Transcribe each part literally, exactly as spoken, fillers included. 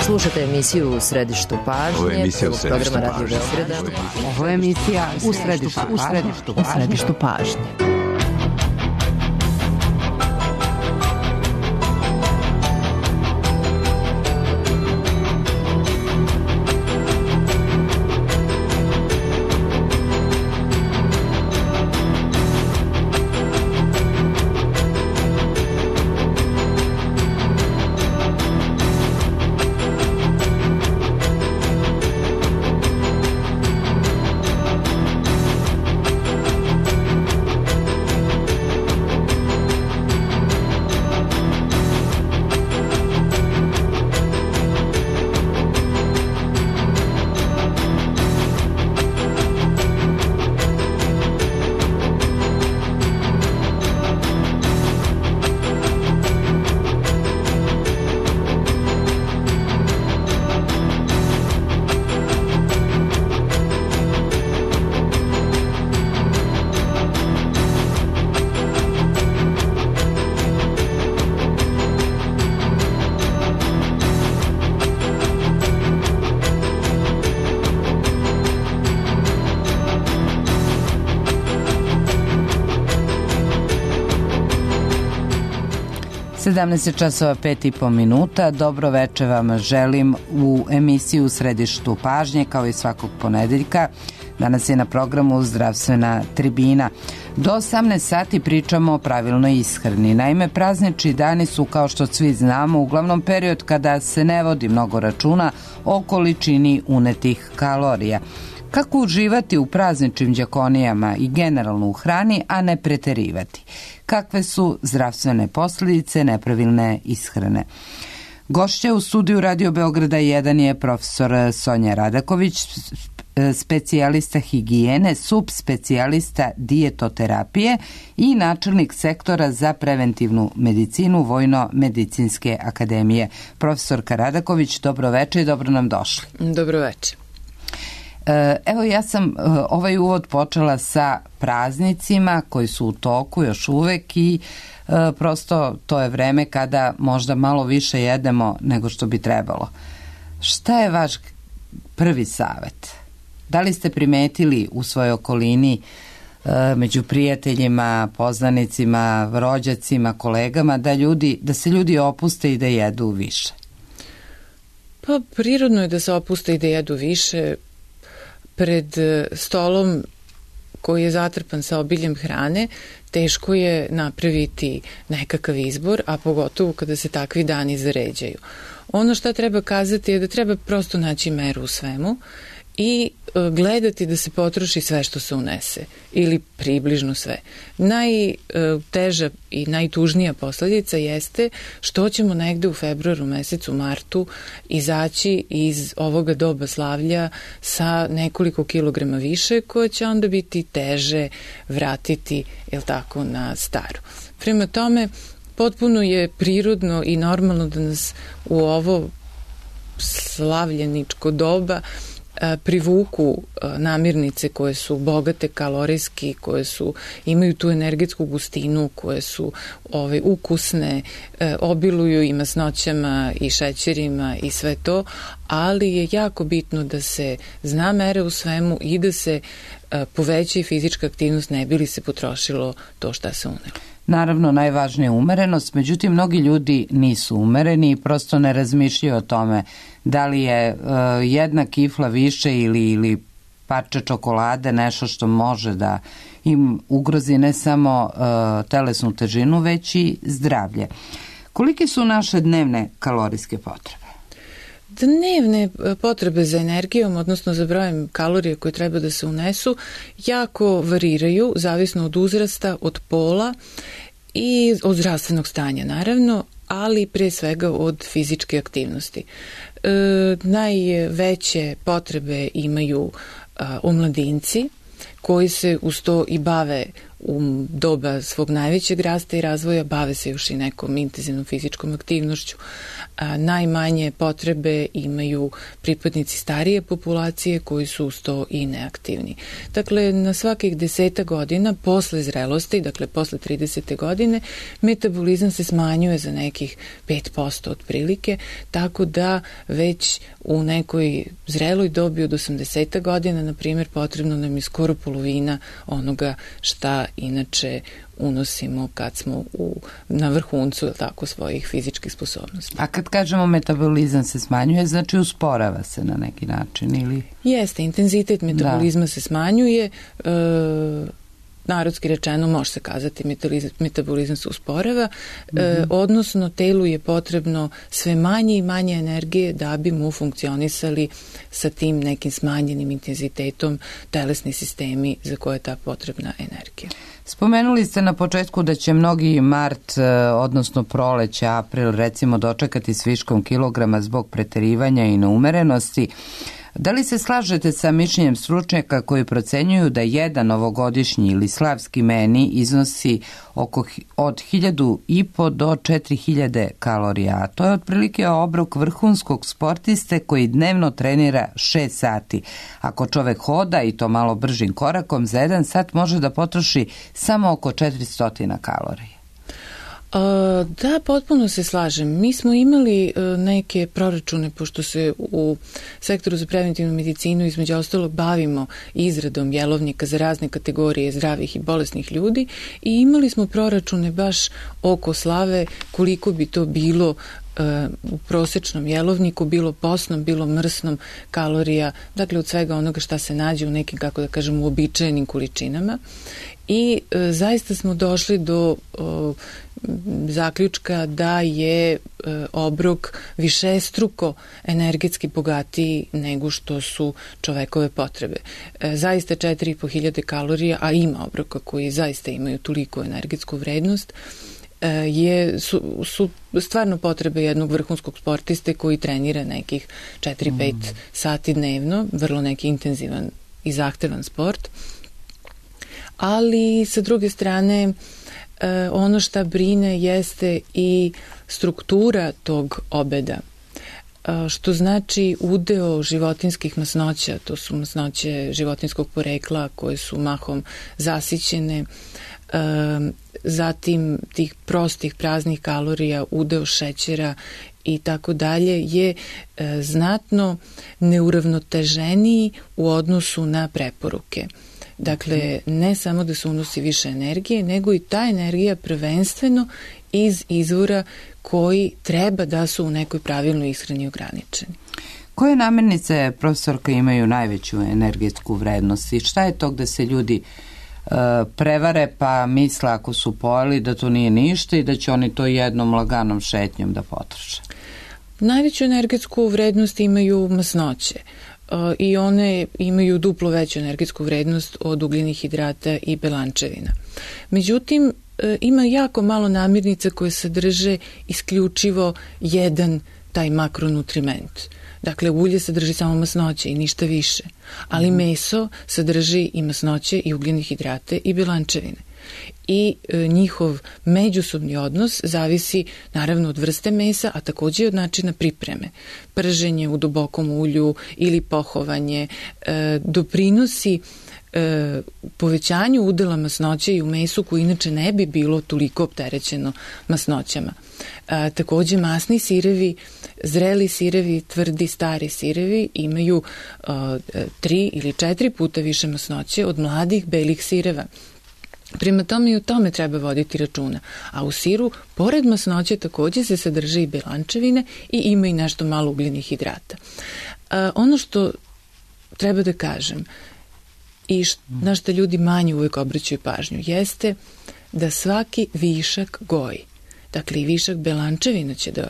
Slušate emisiju U središtu pažnje. Ovo je emisija U središtu pažnje. Ovo je emisija U središtu pažnje. U središtu pažnje. sedamnaest časova pet i po minuta. Dobro veče vam želim u emisiju U središtu pažnje, kao i svakog ponedeljka. Danas je na programu Zdravstvena tribina. Do osamnaest sati pričamo o pravilnoj ishrani. Naime, praznični dani su, kao što svi znamo, uglavnom period kada se ne vodi mnogo računa o količini unetih kalorija. Kako uživati u prazničnim đakonijama i generalno u hrani, a ne preterivati? Kakve su zdravstvene posljedice nepravilne ishrane? Gošća u studiju Radio Beograda jedan je profesor Sonja Radaković, specijalista higijene, subspecijalista dijetoterapije i načelnik sektora za preventivnu medicinu Vojno-medicinske akademije. Profesorka Radaković, dobro večer i dobro nam došli. Dobro večer. Evo, ja sam ovaj uvod počela sa praznicima koji su u toku još uvek i prosto to je vreme kada možda malo više jedemo nego što bi trebalo. Šta je vaš prvi savet? Da li ste primetili u svojoj okolini, među prijateljima, poznanicima, rođacima, kolegama, da, ljudi, da se ljudi opuste i da jedu više? Pa prirodno je da se opuste i da jedu više. Pred stolom koji je zatrpan sa obiljem hrane, teško je napraviti nekakav izbor, a pogotovo kada se takvi dani zaređaju. Ono što treba kazati je da treba prosto naći meru u svemu i gledati da se potroši sve što se unese ili približno sve. Najteža i najtužnija posljedica jeste što ćemo negde u februaru mesecu, martu izaći iz ovoga doba slavlja sa nekoliko kilograma više, koje će onda biti teže vratiti, jel tako, na staru. Prema tome, potpuno je prirodno i normalno da nas u ovo slavljeničko doba privuku namirnice koje su bogate kalorijski, koje su, imaju tu energetsku gustinu, koje su ovaj, ukusne, obiluju i masnoćama i šećerima i sve to, ali je jako bitno da se zna mere u svemu i da se poveća i fizička aktivnost, ne bi li se potrošilo to šta se unelo. Naravno, najvažnija je umerenost, međutim, mnogi ljudi nisu umereni i prosto ne razmišljaju o tome da li je uh, jedna kifla više ili, ili parče čokolade nešto što može da im ugrozi ne samo uh, telesnu težinu, već i zdravlje. Kolike su naše dnevne kalorijske potrebe? Dnevne potrebe za energijom, odnosno za brojem kalorija koje treba da se unesu, jako variraju, zavisno od uzrasta, od pola i od zdravstvenog stanja, naravno, ali pre svega od fizičke aktivnosti. E, najveće potrebe imaju a, omladinci, koji se uz to i bave u doba svog najvećeg rasta i razvoja bave se još i nekom intenzivnom fizičkom aktivnošću. A, najmanje potrebe imaju pripadnici starije populacije koji su uz to i neaktivni. Dakle, na svakih deseta godina posle zrelosti, dakle posle tridesete godine, metabolizam se smanjuje za nekih pet posto otprilike, tako da već u nekoj zreloj dobi od osamdeset godina, na primjer, potrebno nam je skoro polovina onoga šta inače unosimo kad smo u, na vrhuncu tako, svojih fizičkih sposobnosti. A kad kažemo metabolizam se smanjuje, znači usporava se na neki način ili? Jeste, intenzitet metabolizma da. se smanjuje, e, narodski rečeno može se kazati metabolizam se usporava, mm-hmm. e, odnosno telu je potrebno sve manje i manje energije da bi mu funkcionisali sa tim nekim smanjenim intenzitetom telesni sistemi za koje je ta potrebna energija. Spomenuli ste na početku da će mnogi mart, odnosno proleće, april, recimo dočekati s viškom kilograma zbog preterivanja i neumerenosti. Da li se slažete sa mišljenjem stručnjaka koji procenjuju da jedan ovogodišnji ili slavski meni iznosi oko od hiljadu i po do četiri hiljade kalorija, a to je otprilike obrok vrhunskog sportiste koji dnevno trenira šest sati. Ako čovek hoda i to malo bržim korakom, za jedan sat može da potroši samo oko četiristo kalorija. Da, potpuno se slažem. Mi smo imali neke proračune, pošto se u sektoru za preventivnu medicinu između ostalog bavimo izradom jelovnika za razne kategorije zdravih i bolesnih ljudi i imali smo proračune baš oko slave koliko bi to bilo u prosečnom jelovniku, bilo posnom, bilo mrsnom kalorija, dakle od svega onoga šta se nađe u nekim, kako da kažem, uobičajenim količinama. I e, zaista smo došli do o, zaključka da je e, obrok višestruko energetski bogatiji nego što su čovekove potrebe. E, zaista četiri i po hiljade kalorija, a ima obroka koji zaista imaju toliko energetsku vrednost, e, je, su, su stvarno potrebe jednog vrhunskog sportiste koji trenira nekih četiri do pet mm. sati dnevno, vrlo neki intenzivan i zahtevan sport. Ali sa druge strane ono šta brine jeste i struktura tog obeda, što znači udeo životinskih masnoća, to su masnoće životinskog porekla koje su mahom zasićene, zatim tih prostih praznih kalorija, udeo šećera i tako dalje je znatno neuravnoteženiji u odnosu na preporuke. Dakle, ne samo da se unosi više energije, nego i ta energija prvenstveno iz izvora koji treba da su u nekoj pravilnoj ishrani ograničeni. Koje namirnice, profesorka, imaju najveću energetsku vrednost i šta je to gde se ljudi e, prevare pa misle ako su pojeli da to nije ništa i da će oni to jednom laganom šetnjom da potroše? Najveću energetsku vrednost imaju masnoće. I one imaju duplo veću energetsku vrednost od ugljenih hidrata i belančevina. Međutim, ima jako malo namirnica koje sadrže isključivo jedan taj makronutriment. Dakle, ulje sadrži samo masnoće i ništa više, ali mm. meso sadrži i masnoće i ugljene hidrate i belančevine. I e, njihov međusobni odnos zavisi naravno od vrste mesa, a takođe od načina pripreme. Prženje u dubokom ulju ili pohovanje e, doprinosi e, povećanju udela masnoće i u mesu koji inače ne bi bilo toliko opterećeno masnoćama. E, takođe masni sirevi, zreli sirevi, tvrdi, stari sirevi imaju e, tri ili četiri puta više masnoće od mladih belih sireva. Prema tome i o tome treba voditi računa. A u siru, pored masnoće, takođe se sadrže i belančevine i ima i nešto malo ugljenih hidrata. A, ono što treba da kažem i št, na što ljudi manje uvek obraćaju pažnju jeste da svaki višak goji. Dakle, i višak belančevina će da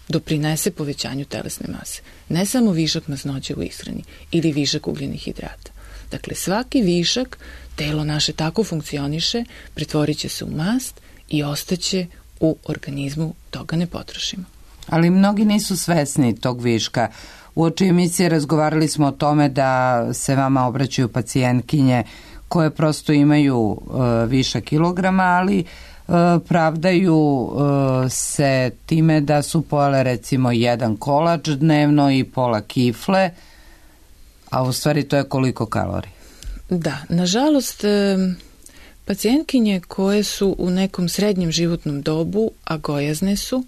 doprinese povećanju telesne mase. Ne samo višak masnoće u ishrani ili višak ugljenih hidrata. Dakle, svaki višak, telo naše tako funkcioniše, pretvorit će se u mast i ostaće u organizmu, toga ne potrošimo. Ali mnogi nisu svesni tog viška. Uoči emisije razgovarali smo o tome da se vama obraćaju pacijentkinje koje prosto imaju uh, više kilograma, ali uh, pravdaju uh, se time da su pojele recimo jedan kolač dnevno i pola kifle, a u stvari to je koliko kalorija? Da, nažalost, pacijentkinje koje su u nekom srednjem životnom dobu, a gojazne su,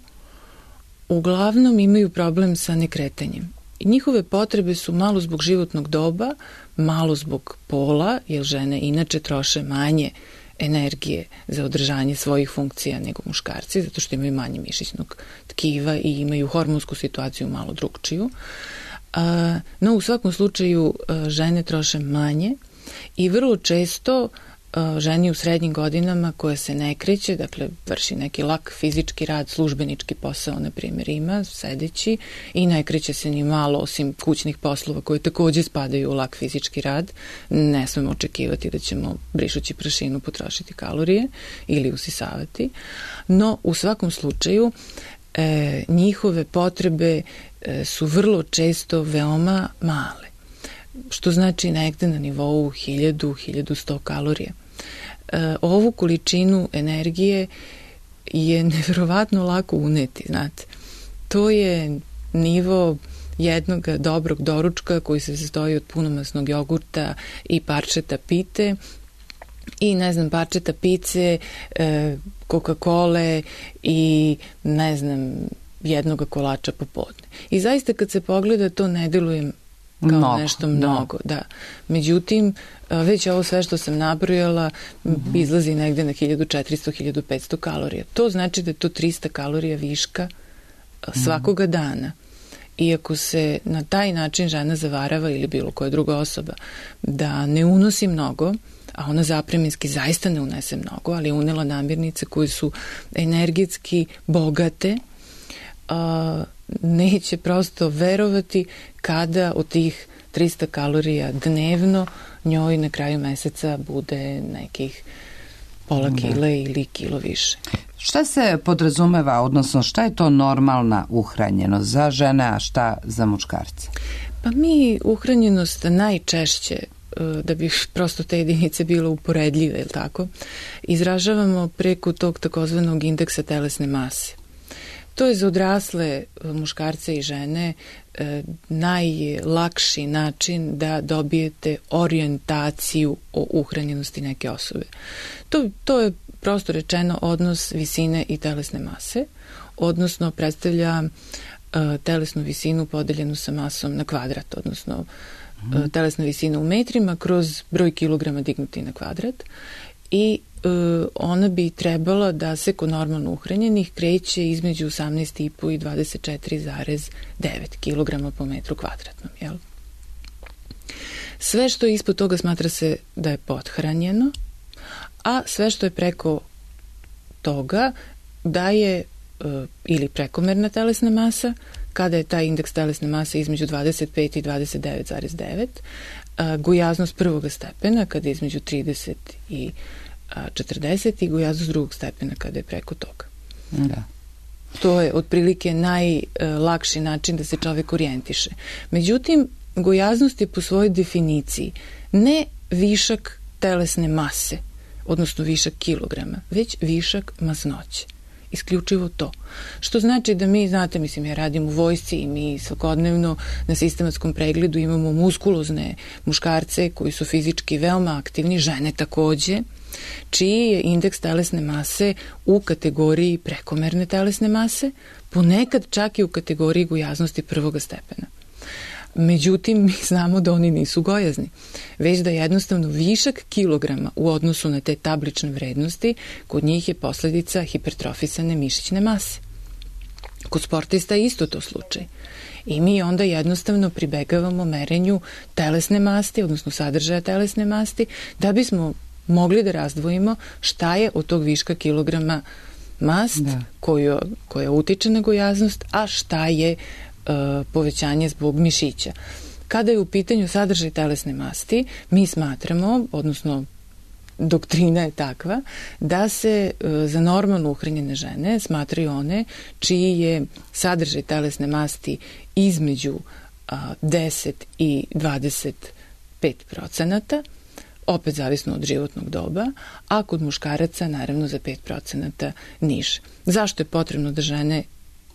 uglavnom imaju problem sa nekretanjem. I njihove potrebe su malo zbog životnog doba, malo zbog pola, jer žene inače troše manje energije za održanje svojih funkcija nego muškarci, zato što imaju manje mišićnog tkiva i imaju hormonsku situaciju malo drugčiju. No, u svakom slučaju žene troše manje i vrlo često ženi u srednjim godinama koja se ne kreće, dakle vrši neki lak fizički rad, službenički posao, na primjer, ima sedeći i ne kreće se ni malo osim kućnih poslova koji takođe spadaju u lak fizički rad. Ne smemo očekivati da ćemo brišući prašinu potrošiti kalorije ili usisavati, no u svakom slučaju e, njihove potrebe e, su vrlo često veoma male, što znači negde na nivou hiljadu do hiljadu sto kalorija. E, ovu količinu energije je neverovatno lako uneti, znate. To je nivo jednog dobrog doručka koji se sastoji od punomasnog jogurta i parčeta pite i, ne znam, parčeta pice, e, Coca-Cola i, ne znam, jednog kolača popodne. I zaista kad se pogleda to ne deluje kao mnogo, nešto mnogo, da. Međutim, već ovo sve što sam nabrojala mm-hmm. izlazi negde na hiljadu četiristo do hiljadu petsto kalorija. To znači da je to trista kalorija viška svakoga mm-hmm. dana. Iako se na taj način žena zavarava ili bilo koja druga osoba da ne unosi mnogo, a ona zapreminski zaista ne unese mnogo, ali je unela namirnice koje su energetski bogate, a, neće prosto verovati kada od tih trista kalorija dnevno njoj na kraju meseca bude nekih pola kile ili kilo više. Šta se podrazumeva, odnosno šta je to normalna uhranjenost za žene, a šta za muškarce? Pa mi uhranjenost najčešće, da bi prosto te jedinice bilo uporedljive, ili tako, izražavamo preko tog takozvanog indeksa telesne mase. To je za odrasle muškarce i žene e, najlakši način da dobijete orijentaciju o uhranjenosti neke osobe. To, to je prosto rečeno odnos visine i telesne mase, odnosno predstavlja e, telesnu visinu podeljenu sa masom na kvadrat, odnosno e, telesna visina u metrima kroz broj kilograma dignuti na kvadrat i ona bi trebala da se kod normalno uhranjenih kreće između osamnaest i po i dvadeset četiri zarez devet kilograma po metru kvadratnom. Jel? Sve što je ispod toga smatra se da je pothranjeno, a sve što je preko toga da je ili prekomerna telesna masa, kada je taj indeks telesne mase između dvadeset pet i dvadeset devet zarez devet, gojaznost prvog stepena kada je između trideset i četrdeset i gojaznost drugog stepena kada je preko toga. Da. To je otprilike najlakši način da se čovek orijentiše. Međutim, gojaznost je po svojoj definiciji ne višak telesne mase, odnosno višak kilograma, već višak masnoće. Isključivo to. Što znači da mi, znate, mislim, ja radim u vojsci i mi svakodnevno na sistematskom pregledu imamo muskulozne muškarce koji su fizički veoma aktivni, žene takođe, čiji je indeks telesne mase u kategoriji prekomerne telesne mase, ponekad čak i u kategoriji gojaznosti prvoga stepena. Međutim, mi znamo da oni nisu gojazni, već da jednostavno višak kilograma u odnosu na te tablične vrednosti kod njih je posledica hipertrofisane mišićne mase. Kod sportista je isto to slučaj. I mi onda jednostavno pribegavamo merenju telesne masti, odnosno sadržaja telesne masti, da bismo mogli da razdvojimo šta je od tog viška kilograma mast koju, koja utiče na gojaznost, a šta je uh, povećanje zbog mišića. Kada je u pitanju sadržaj telesne masti, mi smatramo, odnosno doktrina je takva, da se uh, za normalno uhranjene žene smatraju one čiji je sadržaj telesne masti između uh, deset i dvadeset pet procenata, opet zavisno od životnog doba, a kod muškaraca naravno za pet procenata niže. Zašto je potrebno da žene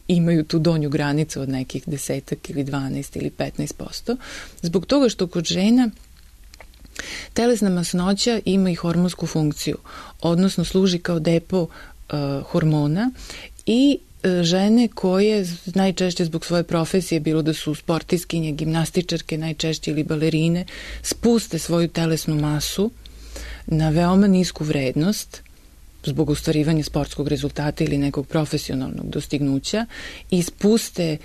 imaju tu donju granicu od nekih desetak ili dvanaest ili petnaest posto? Zbog toga što kod žena telesna masnoća ima i hormonsku funkciju, odnosno služi kao depo uh, hormona i uh, žene koje najčešće zbog svoje profesije, bilo da su sportistkinje, gimnastičarke najčešće ili balerine, spuste svoju telesnu masu na veoma nisku vrednost zbog ostvarivanja sportskog rezultata ili nekog profesionalnog dostignuća i spuste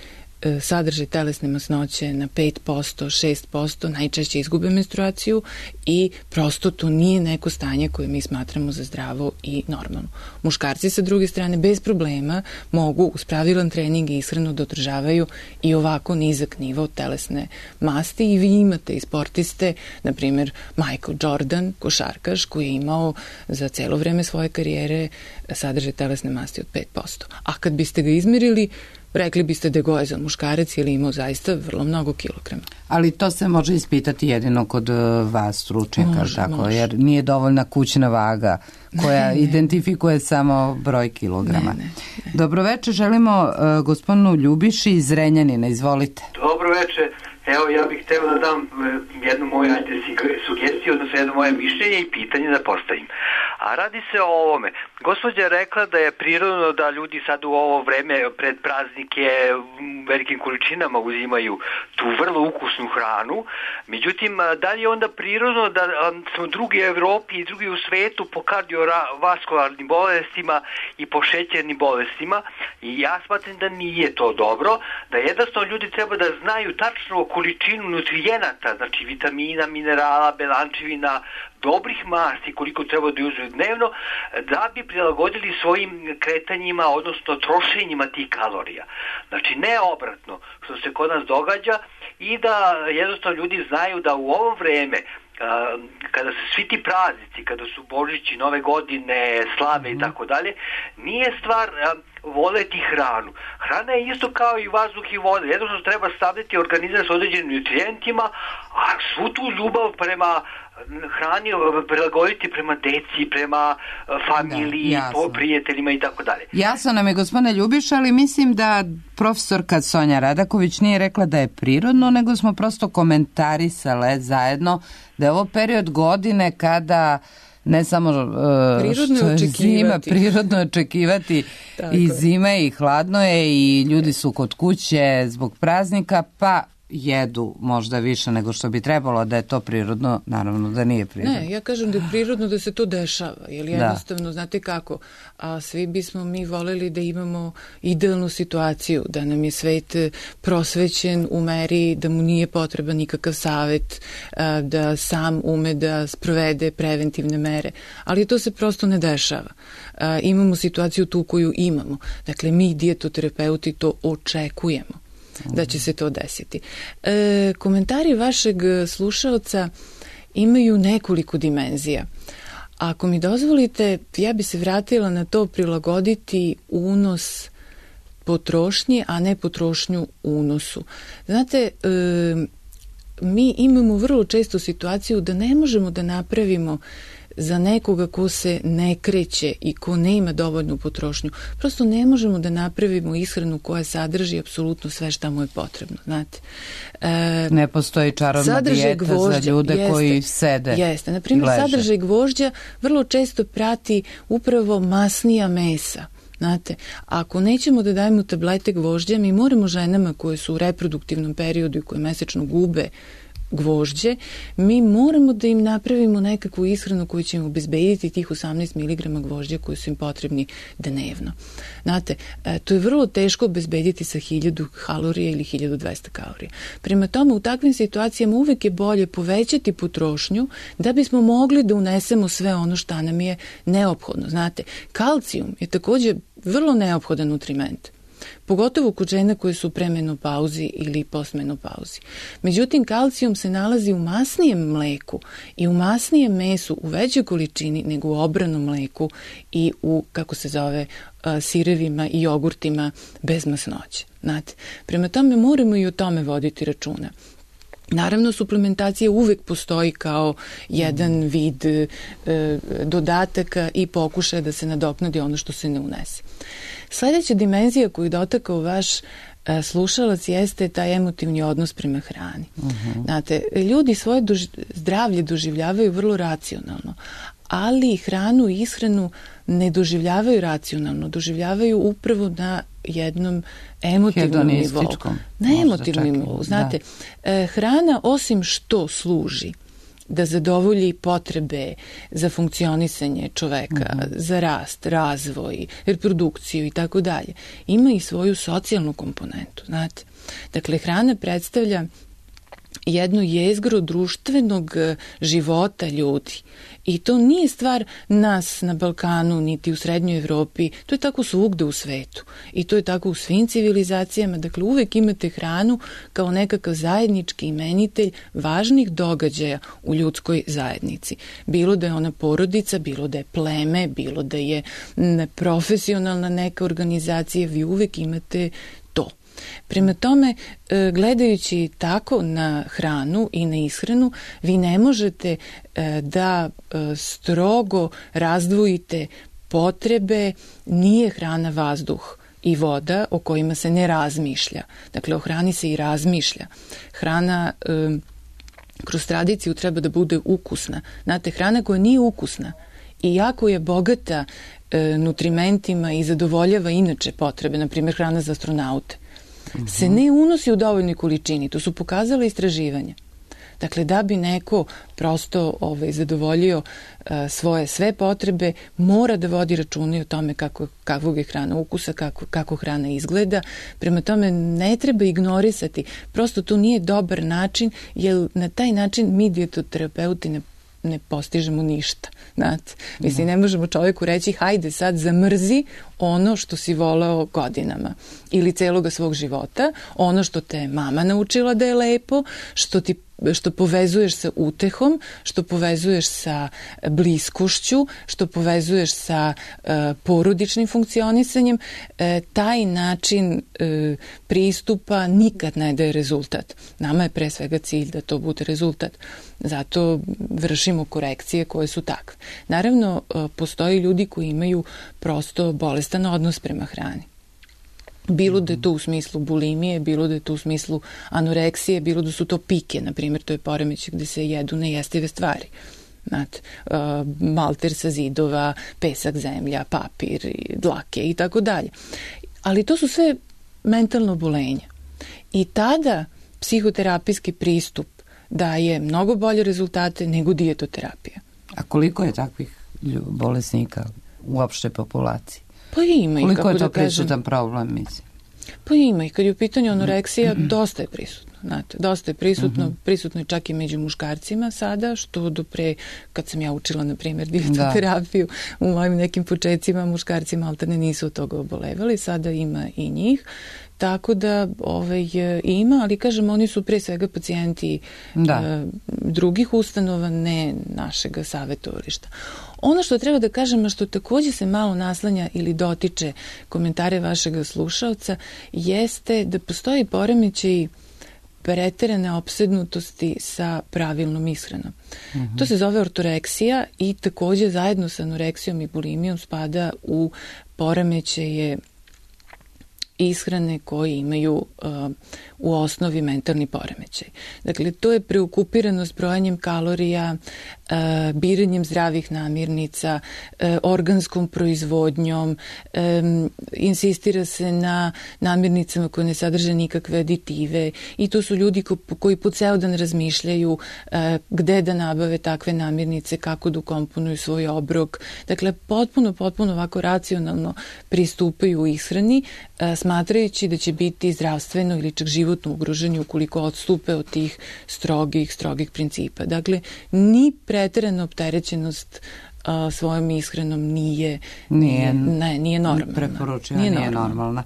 sadržaj telesne masnoće na pet posto, šest posto, najčešće izgube menstruaciju i prosto to nije neko stanje koje mi smatramo za zdravo i normalno. Muškarci sa druge strane bez problema mogu uz pravilan trening i ishranu da održavaju i ovako nizak nivo telesne masti i vi imate i sportiste, na primjer Michael Jordan, košarkaš koji je imao za celo vreme svoje karijere sadržaj telesne masti od pet posto. A kad biste ga izmerili, rekli biste da je gojazan muškarac ili imao zaista vrlo mnogo kilograma. Ali to se može ispitati jedino kod vas stručnjaka, može, tako, može. Jer nije dovoljna kućna vaga koja ne, ne. identifikuje samo broj kilograma. Ne, ne, ne. Dobroveče, želimo uh, gospodinu Ljubiši iz Zrenjanina, izvolite. Dobroveče, evo ja bih hteo da dam jednu moju sugestiju, odnosno jedno moje mišljenje i pitanje da postavim. A radi se o ovome. Gospođa je rekla da je prirodno da ljudi sad u ovo vreme pred praznike velikim količinama uzimaju tu vrlo ukusnu hranu. Međutim, da li je onda prirodno da smo drugi u Evropi i drugi u svetu po kardiovaskularnim bolestima i po šećernim bolestima? I ja smatram da nije to dobro, da jednostavno ljudi treba da znaju tačno količinu nutrijenata, znači vitamina, minerala, belančevina, dobrih masti koliko treba da uzmu dnevno da bi prilagodili svojim kretanjima, odnosno trošenjima tih kalorija. Znači ne obratno što se kod nas događa i da jednostavno ljudi znaju da u ovo vreme kada se svi ti praznici, kada su Božići, Nove godine, slave i tako dalje, nije stvar voleti hranu. Hrana je isto kao i vazduh i voda. Jednostavno treba staviti organizam s određenim nutrijentima, a svu tu ljubav prema hrani prilagoditi prema deci, prema familiji, da, prijateljima i tako dalje. Jasno nam je, gospodine Ljubiša, ali mislim da profesorka Sonja Radaković nije rekla da je prirodno, nego smo prosto komentarisale zajedno da je ovo period godine kada ne samo uh, što je zima, prirodno očekivati i zime i hladno je i ljudi su kod kuće zbog praznika, pa jedu možda više nego što bi trebalo, da je to prirodno, naravno da nije prirodno. Ne, ja kažem da je prirodno da se to dešava, jer jednostavno, da. Znate kako, a svi bismo mi voleli da imamo idealnu situaciju, da nam je svet prosvećen u meri da mu nije potreban nikakav savet, da sam ume da sprovede preventivne mere, ali to se prosto ne dešava. Imamo situaciju tu koju imamo, dakle mi dijetoterapeuti to očekujemo da će se to desiti. E, komentari vašeg slušalca imaju nekoliko dimenzija. Ako mi dozvolite, ja bi se vratila na to prilagoditi unos potrošnje, a ne potrošnju unosu. Znate, e, mi imamo vrlo često situaciju da ne možemo da napravimo za nekoga ko se ne kreće i ko nema dovoljnu potrošnju. Prosto ne možemo da napravimo ishranu koja sadrži apsolutno sve šta mu je potrebno. Znate. E, ne postoji čarobna dijeta gvožđa, za ljude jeste, koji sede. Jeste. Na primjer, sadržaj gvožđa vrlo često prati upravo masnija mesa. Znate, ako nećemo da dajemo tablete gvožđa, mi moramo ženama koje su u reproduktivnom periodu i koje mesečno gube gvožđe, mi moramo da im napravimo nekakvu ishranu koju će im obezbediti tih osamnaest miligrama gvožđa koji su im potrebni dnevno. Znate, to je vrlo teško obezbediti sa hiljadu kalorija ili hiljadu dvesta kalorija. Prema tome, u takvim situacijama uvek je bolje povećati potrošnju da bismo mogli da unesemo sve ono što nam je neophodno. Znate, kalcijum je također vrlo neophodan nutriment, pogotovo kod žena koje su u premenopauzi ili postmenopauzi. Međutim, kalcijum se nalazi u masnijem mleku i u masnijem mesu u većoj količini nego u obranom mleku i u, kako se zove, sirevima i jogurtima bez masnoće. Znate, prema tome moramo i o tome voditi računa. Naravno, suplementacija uvek postoji kao jedan vid e, dodataka i pokušaja da se nadoknadi ono što se ne unese. Sledeća dimenzija koju dotakao vaš e, slušalac jeste taj emotivni odnos prema hrani. Uh-huh. Znate, ljudi svoje doži, zdravlje doživljavaju vrlo racionalno, ali hranu i ishranu ne doživljavaju racionalno, doživljavaju upravo na jednom emotivnom nivou. Na emotivnom nivou. Znate, da. Hrana osim što služi da zadovolji potrebe za funkcionisanje čoveka, uh-huh. za rast, razvoj, reprodukciju i tako dalje, ima i svoju socijalnu komponentu. Znate, dakle, hrana predstavlja jedno jezgro društvenog života ljudi. I to nije stvar nas na Balkanu, niti u Srednjoj Evropi, to je tako svugde u svetu. I to je tako u svim civilizacijama. Dakle, uvek imate hranu kao nekakav zajednički imenitelj važnih događaja u ljudskoj zajednici. Bilo da je ona porodica, bilo da je pleme, bilo da je profesionalna neka organizacija, vi uvek imate to. Prema tome, gledajući tako na hranu i na ishranu, vi ne možete da strogo razdvojite potrebe, nije hrana vazduh i voda o kojima se ne razmišlja. Dakle, o hrani se i razmišlja. Hrana kroz tradiciju treba da bude ukusna. Znate, hrana koja nije ukusna i jako je bogata nutrimentima i zadovoljava inače potrebe, na primjer hrana za astronaute, se ne unosi u dovoljnoj količini. To su pokazala istraživanja. Dakle, da bi neko prosto ovaj, zadovoljio uh, svoje sve potrebe, mora da vodi računa o tome kako, kakvog je hrana ukusa, kako, kako hrana izgleda. Prema tome, ne treba ignorisati. Prosto to nije dobar način, jer na taj način mi dijetoterapeuti ne ne postižemo ništa. Znate, mislim, ne možemo čovjeku reći hajde sad zamrzi ono što si voleo godinama ili celoga svog života, ono što te mama naučila da je lepo, što ti što povezuješ sa utehom, što povezuješ sa bliskošću, što povezuješ sa uh, porodičnim funkcionisanjem, uh, taj način uh, pristupa nikad ne daje rezultat. Nama je pre svega cilj da to bude rezultat. Zato vršimo korekcije koje su takve. Naravno, uh, postoji ljudi koji imaju prosto bolestan odnos prema hrani. Bilo da je to u smislu bulimije, bilo da je to u smislu anoreksije, bilo da su to pike, na primjer, to je poremećaj gde se jedu nejestive stvari. Znate, uh, malter sa zidova, pesak, zemlja, papir, dlake i tako dalje. Ali to su sve mentalno obolenja. I tada psihoterapijski pristup daje mnogo bolje rezultate nego dijetoterapija. A koliko je takvih bolesnika u opštoj populaciji? Pa ima i, koliko kako je to da kažem, prisutan problem, mislim? Pa ima i kad je u pitanju anoreksija, dosta je prisutno. Znate, dosta je prisutno, uh-huh. prisutno je čak i među muškarcima sada, što do pre, kad sam ja učila, na primjer, dijetoterapiju, da. U mojim nekim početcima muškarci maltene nisu od toga obolevali, sada ima i njih. Tako da ovaj, ima, ali kažem, oni su pre svega pacijenti da. uh, drugih ustanova, ne našega savjetovališta. Ono što treba da kažem, a što takođe se malo naslanja ili dotiče komentare vašeg slušaoca, jeste da postoji poremećaj preterane opsednutosti sa pravilnom ishranom. Uh-huh. To se zove ortoreksija i takođe zajedno sa anoreksijom i bulimijom spada u poremećaje ishrane koji imaju uh, u osnovi mentalni poremećaj. Dakle, to je preokupiranost brojanjem kalorija, uh, biranjem zdravih namirnica, uh, organskom proizvodnjom, um, insistira se na namirnicama koje ne sadrže nikakve aditive i to su ljudi ko, koji po ceo dan razmišljaju uh, gde da nabave takve namirnice, kako da ukomponuju svoj obrok. Dakle, potpuno, potpuno ovako racionalno pristupaju u ishrani, uh, smatrajući da će biti zdravstveno ili čak životno ugroženi ukoliko odstupe od tih strogih, strogih principa. Dakle, ni preterana opterećenost a, svojom ishranom nije, nije, ne, nije normalna. Preporučena, nije, nije normalna. normalna.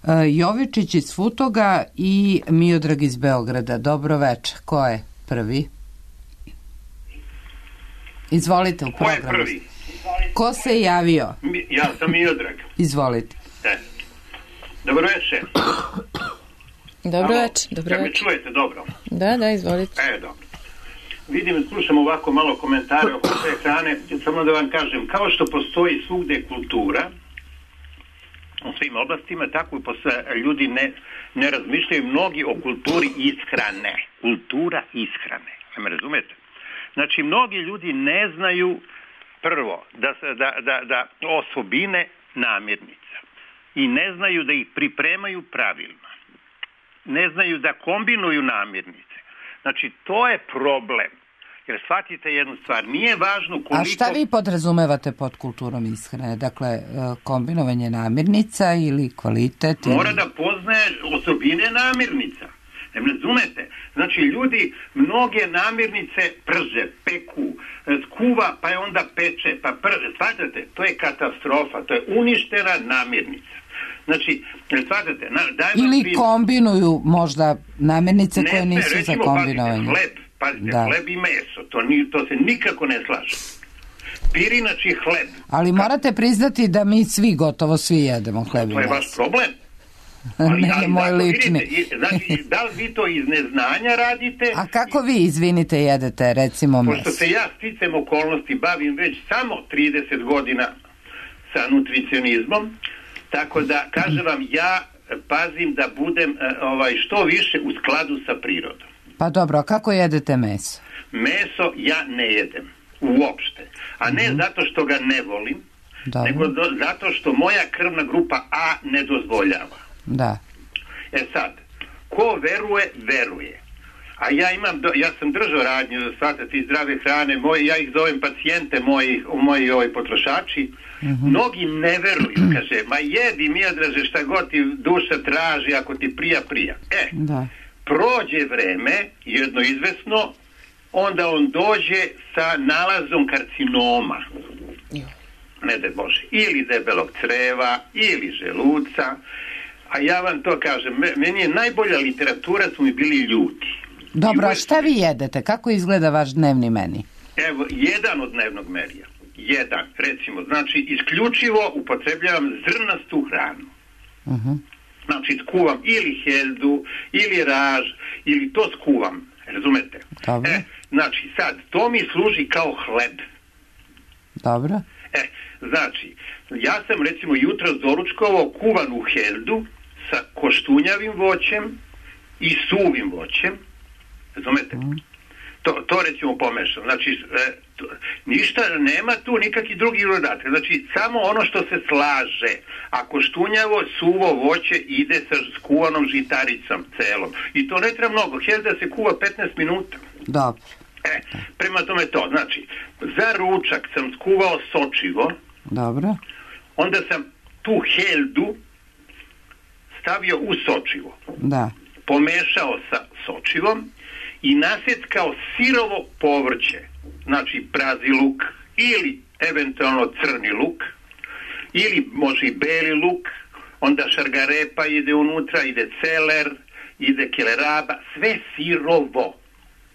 Uh, Jovičić iz Futoga i Miodrag iz Beograda. Dobro večer. Ko je prvi? Izvolite u programu. Ko je prvi? Ko se javio? Mi, ja sam Miodrag. Izvolite. E. Dobro večer. Dobro večer. Dobro da me večer. čujete dobro? Da, da, izvolite. E, dobro. Vidim, slušam ovako malo komentare oko te hrane, samo da vam kažem, kao što postoji svugde kultura u svim oblastima, tako i postoje, ljudi ne, ne razmišljaju mnogi o kulturi ishrane. Kultura ishrane. Ja me razumete? Znači, mnogi ljudi ne znaju prvo da, da, da, da osobine namirnica i ne znaju da ih pripremaju pravilno. Ne znaju da kombinuju namirnice. Znači, to je problem. Jer shvatite jednu stvar, nije važno koliko... A šta vi podrazumevate pod kulturom ishrane? Dakle, kombinovanje namirnica ili kvalitet? Mora ili... da poznaje osobine namirnica. Ne razumete? Znači, ljudi mnoge namirnice prže, peku, skuva, pa je onda peče, pa prže. Shvatate, to je katastrofa, to je uništena namirnica. Znači, shvatate, ili primjer. Kombinuju možda namirnice ne, koje nisu recimo, za kombinovanje. Pazite, hleb, pazite, da. Hleb i meso, to, ni, to se nikako ne slaže. Pirinači hleb. Ali morate priznati da mi svi, gotovo svi jedemo hleb i meso. To je vaš problem. Ali, ne, ali, moj vidite, lični. znači, da li vi to iz neznanja radite? A kako vi, izvinite, jedete, recimo meso? Pošto se ja sticam okolnosti bavim već samo trideset godina sa nutricionizmom, tako da, kažem vam, ja pazim da budem ovaj, što više u skladu sa prirodom. Pa dobro, a kako jedete meso? Meso ja ne jedem, uopšte. A ne mm-hmm. zato što ga ne volim, dobro. Nego do, zato što moja krvna grupa A ne dozvoljava. Da. E sad, ko veruje, veruje. A ja imam, do, ja sam držao radnju za shvatati zdrave hrane, moji, ja ih zovem pacijente moji, moji ovaj, potrošači. Mm-hmm. Mnogi ne veruju, kaže, ma jedi Miodraže šta god ti duša traži, ako ti prija, prija. E, da. Prođe vreme, jedno izvesno, onda on dođe sa nalazom karcinoma. Ne daj Bože, ili debelog creva, ili želuca. A ja vam to kažem, meni je najbolja literatura su mi bili ljudi. Dobro, a šta vi jedete? Kako izgleda vaš dnevni meni? Evo, jedan od dnevnog merija. Jedan, recimo, znači, isključivo upotrebljavam zrnastu hranu. Uh-huh. Znači, skuvam ili heldu, ili raž, ili to skuvam, razumete? Dobro. E, znači, sad, to mi služi kao hleb. Dobro. E, znači, ja sam, recimo, jutro doručkovao kuvanu heldu sa koštunjavim voćem i suvim voćem, razumete? Uh-huh. To, to recimo pomešam. Znači, e, to, ništa, nema tu nikakvi drugi dodatak. Znači, samo ono što se slaže. Ako štunjavo, suvo voće ide sa skuvanom žitaricom celom. I to ne treba mnogo. Helda se kuva petnaest minuta. Dobro. E, prema tome to. Znači, za ručak sam skuvao sočivo. Dobro. Onda sam tu heldu stavio u sočivo. Da. Pomešao sa sočivom i nasjeckao sirovo povrće, znači prazi luk ili eventualno crni luk ili može i beli luk, onda šargarepa ide unutra, ide celer, ide keleraba, sve sirovo.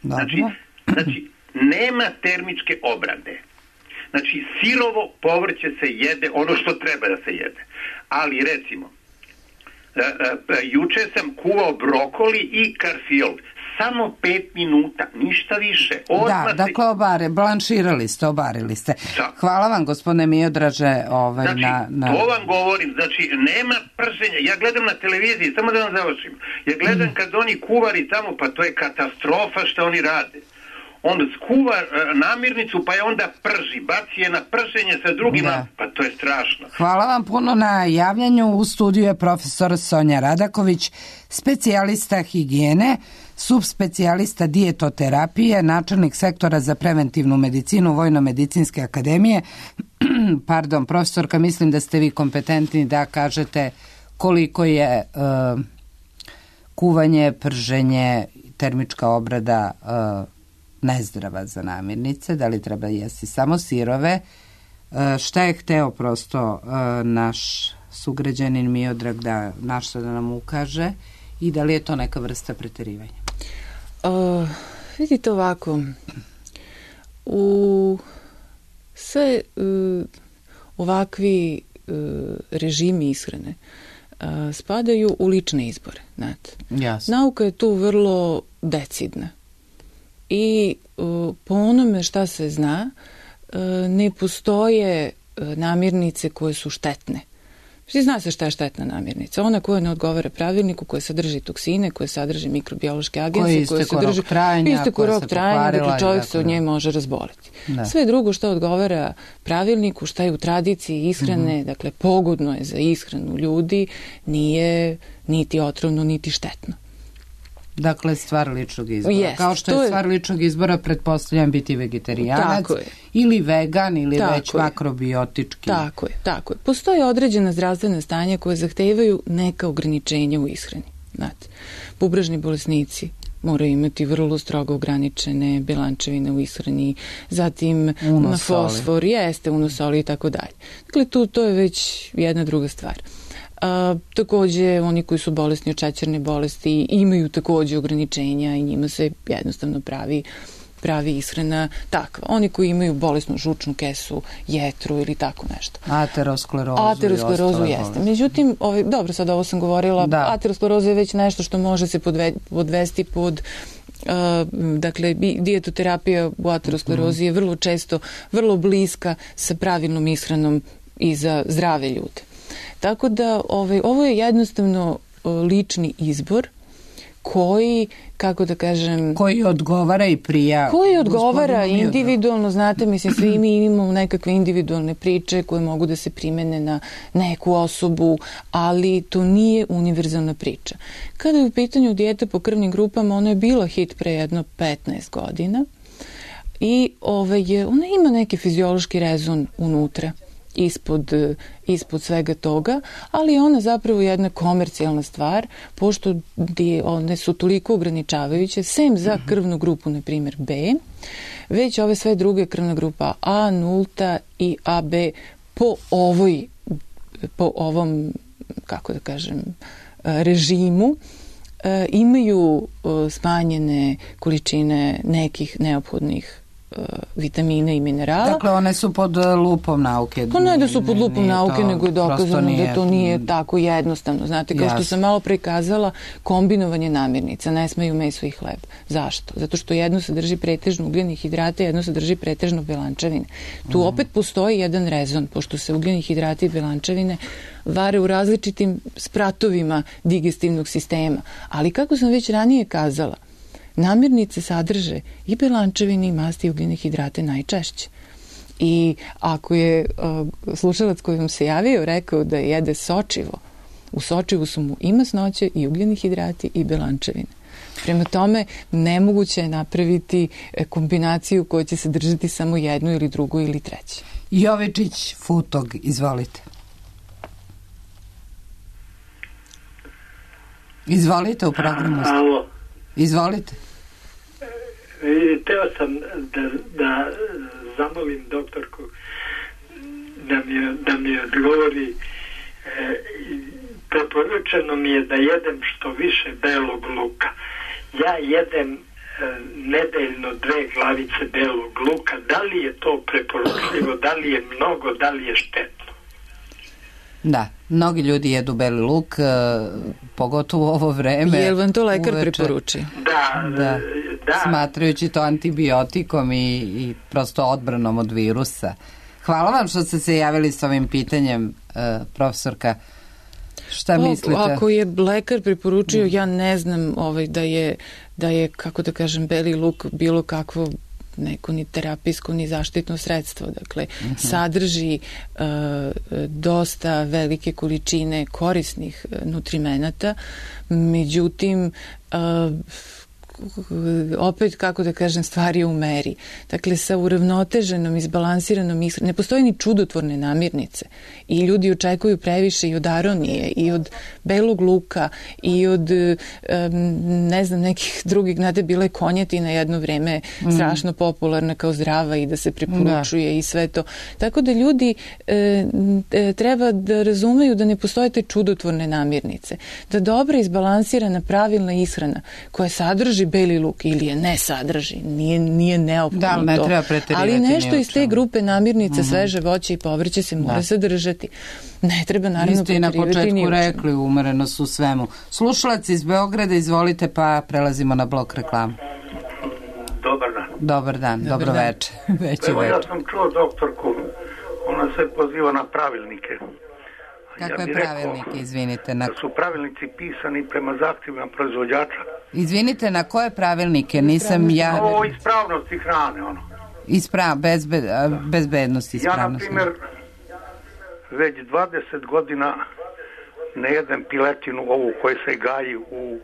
Znači, znači nema termičke obrade. Znači sirovo povrće se jede ono što treba da se jede. Ali recimo, a, a, a, juče sam kuvao brokoli i karfiol. Samo pet minuta, ništa više. Odmah da, dakle obare, blanširali ste, obarili ste. Da. Hvala vam, gospodine Miodraže, ovaj, znači, na, na... to vam govorim, znači, nema prženja. Ja gledam na televiziji, samo da vam završim. Ja gledam mm. kad oni kuvari tamo, pa to je katastrofa što oni rade. On skuva uh, namirnicu, pa je onda prži, baci je na prženje sa drugima, da. Pa to je strašno. Hvala vam puno na javljanju. U studiju je profesor Sonja Radaković, specijalista higijene, subspecijalista dijetoterapije, načelnik sektora za preventivnu medicinu Vojno-medicinske akademije. Pardon, profesorka, mislim da ste vi kompetentni da kažete koliko je uh, kuvanje, prženje, termička obrada uh, nezdrava za namirnice, da li treba jesti samo sirove. Uh, šta je hteo prosto uh, naš sugrađanin Miodrag da našta da nam ukaže i da li je to neka vrsta preterivanja? Uh, vidite ovako, u sve uh, ovakvi uh, režimi ishrane a, spadaju u lične izbore. Znate. Jasno. Nauka je tu vrlo decidna. I a, po onome šta se zna, a, ne postoje a, namirnice koje su štetne. Zna se šta je štetna namirnica. Ona koja ne odgovara pravilniku, koja sadrži toksine, koja sadrži mikrobiološke agense, koja sadrži isteko rok trajanja, dakle čovjek se od nje može razboliti. Da. Sve drugo što odgovara pravilniku, šta je u tradiciji ishrane, mm-hmm. dakle pogodno je za ishranu ljudi, nije niti otrovno, niti štetno. Dakle, stvar ličnog izbora. Jest, kao što je, je stvar ličnog izbora, pretpostavljam biti vegetarijanac ili vegan ili tako već je. Makrobiotički. Tako je, tako je. Postoje određena zdravstvena stanja koje zahtevaju neka ograničenja u ishrani. Znate, bubrežni bolesnici moraju imati vrlo strogo ograničene belančevine u ishrani, zatim na fosfor, jeste, unosoli i tako dalje. Dakle, tu to je već jedna druga stvar. A, takođe, oni koji su bolesni od šećerne bolesti imaju takođe ograničenja i njima se jednostavno pravi pravi ishrana takva. Oni koji imaju bolesnu žučnu kesu, jetru ili tako nešto. Aterosklerozu. Aterosklerozu jeste. Međutim, ovaj, dobro, sad ovo sam govorila, da. Ateroskleroza je već nešto što može se podve, podvesti pod Uh, dakle, dijetoterapija u aterosklerozi je vrlo često, vrlo bliska sa pravilnom ishranom i za zdrave ljude. Tako da ovaj, ovo je jednostavno lični izbor koji, kako da kažem... Koji odgovara i prija. Koji odgovara individualno, znate, mislim, svi mi imamo nekakve individualne priče koje mogu da se primene na neku osobu, ali to nije univerzalna priča. Kada je u pitanju dijeta po krvnim grupama, ona je bila hit pre jedno petnaest godina i ovaj, ona ima neki fiziološki rezon unutra. Ispod, ispod svega toga, ali ona zapravo jedna komercijalna stvar, pošto one su toliko ograničavajuće, sem za krvnu grupu, na primjer B, već ove sve druge, krvna grupa A, nulta i A B po ovoj, po ovom, kako da kažem, režimu, imaju smanjene količine nekih neophodnih vitamina i minerala. Dakle, one su pod lupom nauke. Pa ne da su pod lupom nauke, nego je dokazano da to nije tako jednostavno. Znate, kao što sam malo prikazala, kombinovanje namirnica, ne smeju meso i hleb. Zašto? Zato što jedno sadrži pretežno ugljene hidrate, jedno sadrži pretežno belančevine. Tu opet postoji jedan rezon, pošto se ugljeni hidrati i belančevine vare u različitim spratovima digestivnog sistema. Ali kako sam već ranije kazala, namirnice sadrže i belančevine i masti i ugljene hidrate najčešće. I ako je uh, slušalac koji vam se javio rekao da jede sočivo, u sočivu su mu i masnoće i ugljeni hidrati i belančevine. Prema tome, nemoguće je napraviti kombinaciju koja će sadržati samo jednu ili drugu ili treću. Jovičić Futog, izvolite. Izvolite u programu. Alo. Izvolite. Teo sam da, da zamolim doktorku da mi, da mi odgovori. E, preporučeno mi je da jedem što više belog luka. Ja jedem e, nedeljno dve glavice belog luka. Da li je to preporučljivo, da li je mnogo, da li je štetno? Da, mnogi ljudi jedu beli luk, pogotovo u ovo vreme. Jel vam to lekar uveče preporuči? Da, da, da. Smatrajući to antibiotikom i, i prosto odbranom od virusa. Hvala vam što ste se javili s ovim pitanjem, uh, profesorka. Šta o, mislite? Ako je lekar preporučio, ja ne znam ovaj, da je, da je, kako da kažem, beli luk bilo kakvo neko ni terapijsko ni zaštitno sredstvo. Dakle, uh-huh. sadrži uh, dosta velike količine korisnih nutrimenata, međutim uh, opet, kako da kažem, stvari u meri. Dakle, sa uravnoteženom, izbalansiranom ishranom, ne postoji ni čudotvorne namirnice i ljudi očekuju previše i od aronije i od belog luka i od um, ne znam, nekih drugih, znate, bila je konjetina jedno vreme mm. strašno popularna kao zdrava i da se preporučuje da. I sve to. Tako da ljudi e, e, treba da razumeju da ne postoje te čudotvorne namirnice. Da dobra izbalansirana pravilna ishrana koja sadrži beli luk ili je ne sadrži, nije, nije neophodno da, ne to. treba preterivati. Ali nešto iz te grupe namirnica, mm-hmm. sveže voće i povrće se mora da. sadržati. Ne treba naravno preterivati. Vi ste i na početku rekli umerenost u svemu. Slušalac iz Beograda, izvolite, pa prelazimo na blok reklama. Dobar dan. Dobar dan, Dobar dobro dan. veče. Veći Evo, veče. ja sam čuo doktorku, ona se poziva na pravilnike. Kakve ja pravilnike, rekao, izvinite? Na... Da su pravilnici pisani prema zahtjevima proizvođača. Izvinite, na koje pravilnike? Nisam ja... O ispravnosti hrane, ono. Isprav, bezbed, bezbednosti ispravnosti. Ja, na primjer, već dvadeset godina ne jedem piletinu ovu koja se gaji u,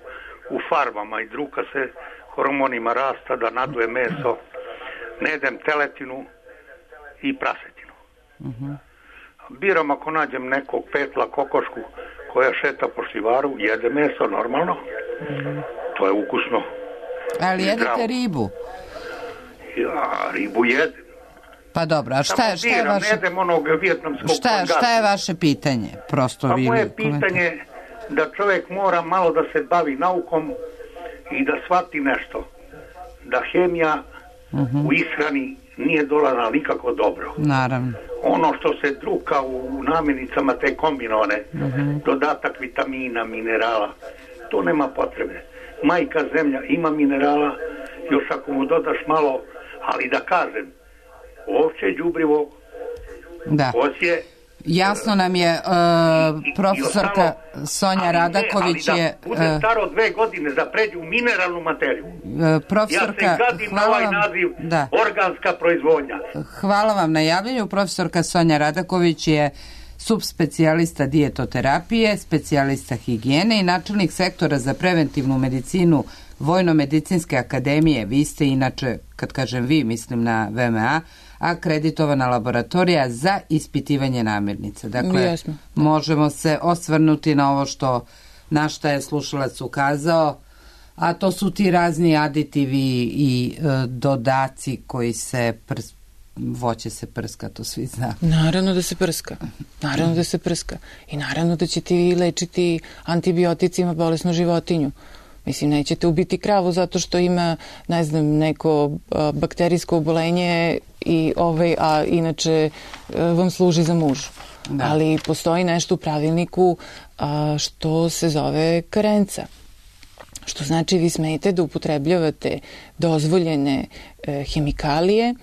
u farmama i druka se hormonima rasta da naduje meso. Ne jedem teletinu i prasetinu. Uh-huh. Biram ako nađem nekog petla, kokošku koja šeta po šivaru, jede meso normalno. Uh-huh. To je ukusno. Ali jedete ribu? Ja, ribu jedem. Pa dobro, a šta, je, šta je vaše... Ne jedem onog vijetnamskog šta, šta je vaše pitanje? Prosto pa vi moje pitanje je da čovjek mora malo da se bavi naukom i da shvati nešto. Da hemija uh-huh. u ishrani nije dolazila nikako dobro. Naravno. Ono što se druka u namirnicama, te kombinovane, uh-huh. dodatak vitamina, minerala, to nema potrebe. Majka zemlja ima minerala, još ako mu dodaš malo, ali da kažem, ovce đubrivo, da. osje. Jasno nam je, uh, profesorka Sonja Radaković je... je... Ali da bude staro dve godine da pređe u mineralnu materiju. Uh, profesorka, ja se gadim na ovaj naziv da. organska proizvodnja. Hvala vam na javljanju. Profesorka Sonja Radaković je subspecijalista dijetoterapije, specijalista higijene i načelnik sektora za preventivnu medicinu Vojno-medicinske akademije. Vi ste inače, kad kažem vi, mislim na V M A, akreditovana laboratorija za ispitivanje namirnica. Dakle, Jasno. možemo se osvrnuti na ovo što na šta je slušalac ukazao, a to su ti razni aditivi i e, dodaci koji se prs, voće se prska, to svi zna. Naravno da se prska. Naravno da se prska. I naravno da će ti lečiti antibioticima bolesnu životinju. Mislim, nećete ubiti kravu zato što ima, ne znam, neko a, bakterijsko obolenje, i, ovaj, a inače a, vam služi za mužu. Da. Ali postoji nešto u pravilniku a, što se zove karenca. Što znači vi smete da upotrebljavate dozvoljene e, hemikalije,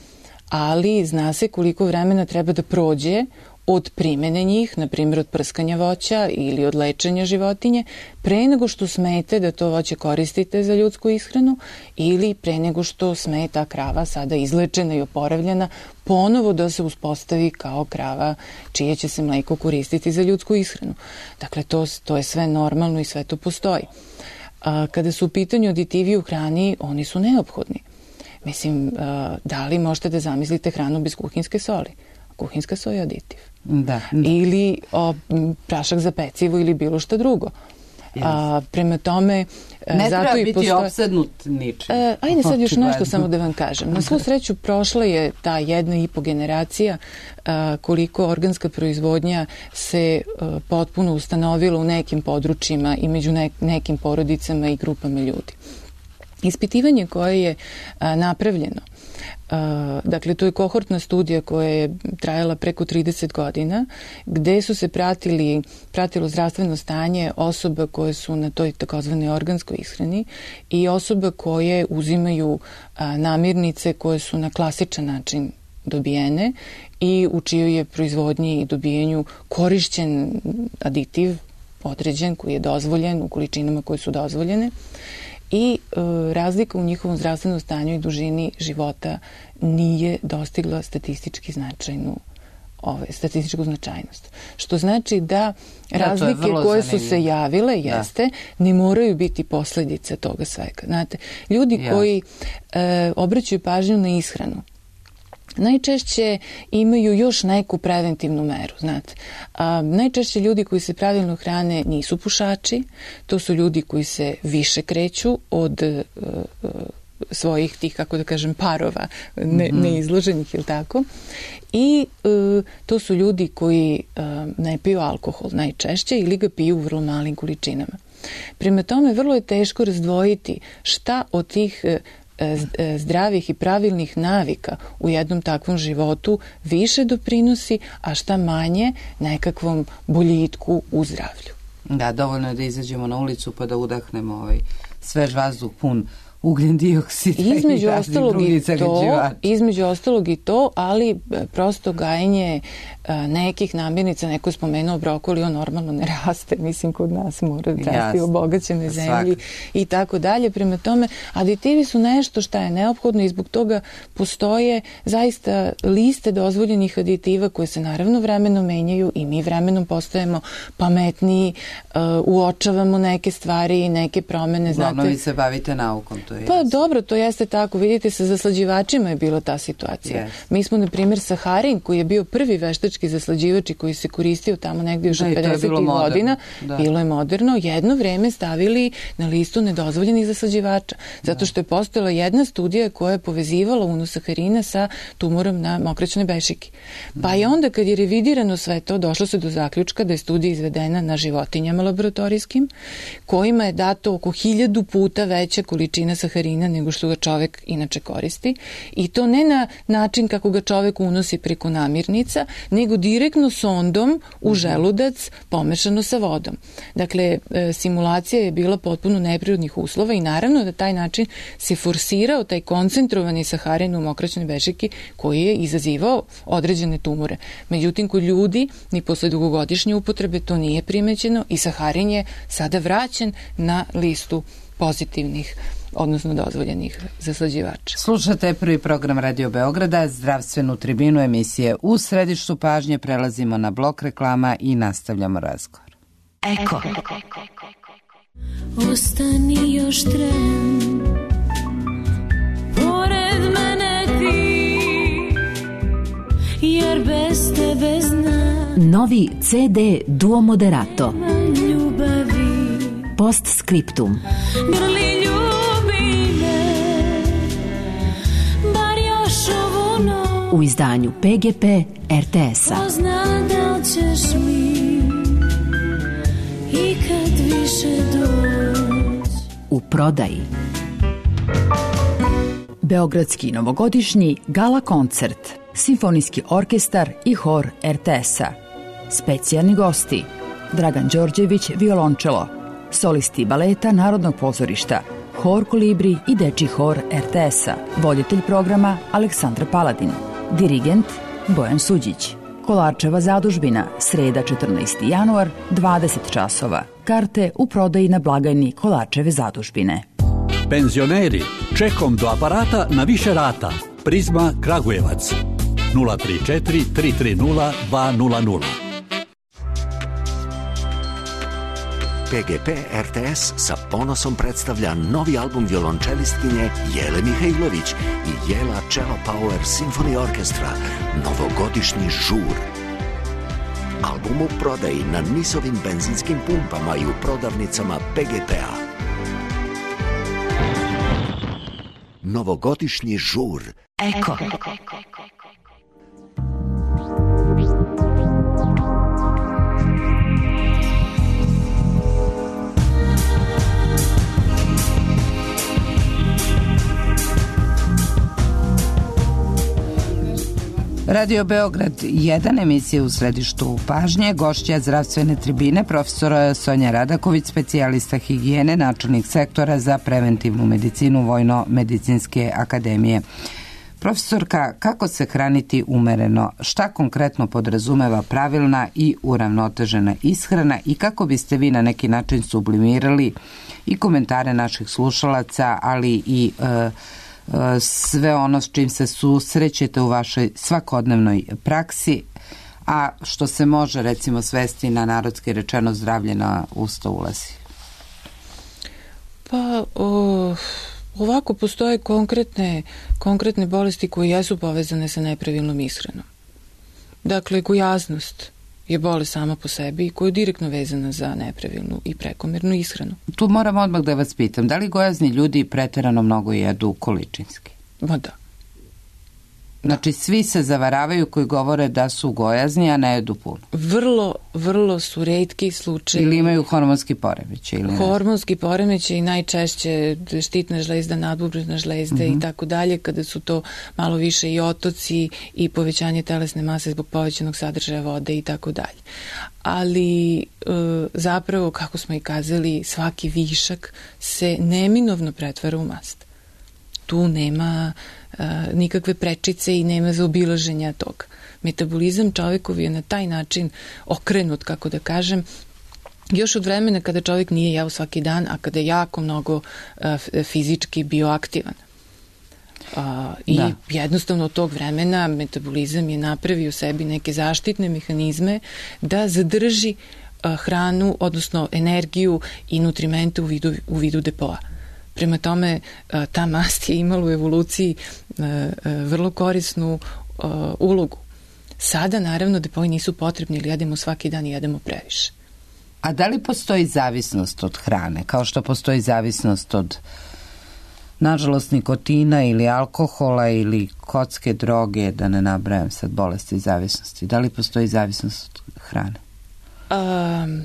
ali zna se koliko vremena treba da prođe od primene njih, na primjer od prskanja voća ili od lečenja životinje, pre nego što smete da to voće koristite za ljudsku ishranu ili pre nego što sme ta krava sada izlečena i oporavljena ponovo da se uspostavi kao krava čije će se mleko koristiti za ljudsku ishranu. Dakle, to, to je sve normalno i sve to postoji. A, kada su u pitanju aditivi u hrani, oni su neophodni. Mislim, a, da li možete da zamislite hranu bez kuhinske soli? Kuhinska soja je aditiv. Da, da. Ili o, prašak za pecivo ili bilo šta drugo. Yes. A, prema tome... Ne zato treba i biti postoje... opsednut ničim. E, ajde sad još nešto samo da vam kažem. Na svu sreću prošla je ta jedna i po generacija a, koliko organska proizvodnja se a, potpuno ustanovila u nekim područjima i među ne, nekim porodicama i grupama ljudi. Ispitivanje koje je a, napravljeno, Uh, dakle, to je kohortna studija koja je trajala preko trideset godina, gde su se pratili, pratilo zdravstveno stanje osoba koje su na toj takozvanoj organskoj ishrani i osoba koje uzimaju uh, namirnice koje su na klasičan način dobijene i u čijoj je proizvodnji i dobijenju korišćen aditiv određen koji je dozvoljen u količinama koje su dozvoljene. I e, razlika u njihovom zdravstvenom stanju i dužini života nije dostigla statistički značajnu ove, statističku značajnost. Što znači da razlike da, koje zanimljivo. su se javile, jeste, da. ne moraju biti posljedice toga svega. Znate, ljudi ja. koji e, obraćaju pažnju na ishranu, najčešće imaju još neku preventivnu meru, znate. A, najčešće ljudi koji se pravilno hrane nisu pušači, to su ljudi koji se više kreću od uh, svojih tih, kako da kažem, parova, ne, mm-hmm. neizloženih, ili tako. I uh, to su ljudi koji uh, ne piju alkohol najčešće ili ga piju u vrlo malim količinama. Prema tome, vrlo je teško razdvojiti šta od tih zdravih i pravilnih navika u jednom takvom životu više doprinosi, a šta manje nekakvom boljitku u zdravlju. Da, dovoljno je da izađemo na ulicu pa da udahnemo ovaj svež vazduh pun ugljen dioksid između ostalog i to, između ostalog i to, ali prosto gajenje nekih namirnica, neko je spomenuo brokoli, on normalno ne raste, mislim kod nas mora da rasti u obogaćenoj zemlji i tako dalje. Prema tome, aditivi su nešto što je neophodno i zbog toga postoje zaista liste dozvoljenih aditiva koje se naravno vremenom menjaju i mi vremenom postajemo pametniji, uh, uočavamo neke stvari i neke promene. Uglavnom vi se bavite naukom, to je Pa jasno. Dobro, to jeste tako. Vidite, sa zaslađivačima je bila ta situacija. Yes. Mi smo, na primjer, saharin, koji je bio prvi veštački zaslađivač i koji se koristio tamo negdje još od pedesetih godina, da. Bilo je moderno, jedno vreme stavili na listu nedozvoljenih zaslađivača. Zato što je postojala jedna studija koja je povezivala unos saharina sa tumorom na mokraćnoj bešiki. Pa i onda kad je revidirano sve to, došlo se do zaključka da je studija izvedena na životinjama laboratorijskim, kojima je dato oko hiljadu puta veća količina saharina nego što ga čovek inače koristi. I to ne na način kako ga čovek unosi preko namirnica, nego direktno sondom u želudac pomešano sa vodom. Dakle, simulacija je bila potpuno neprirodnih uslova i naravno da taj način se forsirao taj koncentrovani saharin u mokraćnoj bešiki koji je izazivao određene tumore. Međutim, kod ljudi ni posle dugogodišnje upotrebe to nije primećeno i saharin je sada vraćen na listu pozitivnih, odnosno dozvoljenih zaslađivača. Slušate prvi program Radio Beograda, zdravstvenu tribinu emisije U središtu pažnje. Prelazimo na blok reklama i nastavljamo razgovor. Eko. Ostani još tren, pored mene ti, jer bez tebe znam. Novi ce de Duo Moderato. Ljubavi. Post scriptum. Grli ljubi me, bar još ovu noć. U izdanju pe ge pe er te es-a. Ko zna da li ćeš mi ikad više doći. U prodaji. Beogradski novogodišnji gala koncert, simfonijski orkestar i hor er te es-a. Specijalni gosti: Dragan Đorđević, violončelo, solisti baleta Narodnog pozorišta, hor Kolibri i dečji hor er te es-a. Voditelj programa Aleksandra Paladin, dirigent Bojan Suđić. Kolarčeva zadužbina, sreda četrnaesti januar, dvadeset časova. Karte u prodaji na blagajni Kolarčeve zadužbine. Penzioneri, čekom do aparata na više rata. Prizma Kragujevac. nula tri četiri tri tri nula dva nula nula. pe ge pe er te es sa ponosom predstavlja novi album violončelistkinje Jele Mihajlović i Jela Cello Power Symphony Orchestra, novogodišnji žur. Album u prodaji na nisovim benzinskim pumpama i u prodavnicama pe ge pe-a. Novogodišnji žur. Eko. Radio Beograd jedan, emisija U središtu pažnje, gošća zdravstvene tribine, profesora Sonja Radaković, specijalista higijene, načelnik sektora za preventivnu medicinu Vojno-medicinske akademije. Profesorka, kako se hraniti umereno? Šta konkretno podrazumeva pravilna i uravnotežena ishrana i kako biste vi na neki način sublimirali i komentare naših slušalaca, ali i e, sve ono s čim se susrećete u vašoj svakodnevnoj praksi, a što se može recimo svesti na narodski rečeno zdravlje na usta ulazi? Pa o, ovako postoje konkretne, konkretne bolesti koje jesu povezane sa nepravilnom ishranom. Dakle, gojaznost je bolest sama po sebi i koja je direktno vezana za nepravilnu i prekomernu ishranu. Tu moram odmah da vas pitam, da li gojazni ljudi preterano mnogo jedu količinski? Ma da. Znači svi se zavaravaju koji govore da su gojazni, a ne jedu puno. Vrlo, vrlo su retki slučajevi. Ili imaju hormonski poremećaj. Ili hormonski poremećaj i najčešće štitna žlezda, nadbubrežna žlezda mm-hmm. i tako dalje, kada su to malo više i otoci i povećanje telesne mase zbog povećanog sadržaja vode i tako dalje. Ali e, zapravo, kako smo i kazali, svaki višak se neminovno pretvara u mast. Tu nema uh, nikakve prečice i nema zaobilaženja toga. Metabolizam čovekov je na taj način okrenut, kako da kažem, još od vremena kada čovjek nije jeo svaki dan, a kada je jako mnogo uh, fizički bioaktivan. Uh, I da. Jednostavno od tog vremena metabolizam je napravio u sebi neke zaštitne mehanizme da zadrži uh, hranu, odnosno energiju i nutrimente u vidu, u vidu depoa. Prema tome, ta mast je imala u evoluciji vrlo korisnu ulogu. Sada, naravno, depoji nisu potrebni ili jedemo svaki dan i jedemo previše. A da li postoji zavisnost od hrane? Kao što postoji zavisnost od, nažalost, nikotina ili alkohola ili kocke, droge, da ne nabrajam sad bolesti i zavisnosti. Da li postoji zavisnost od hrane? Um,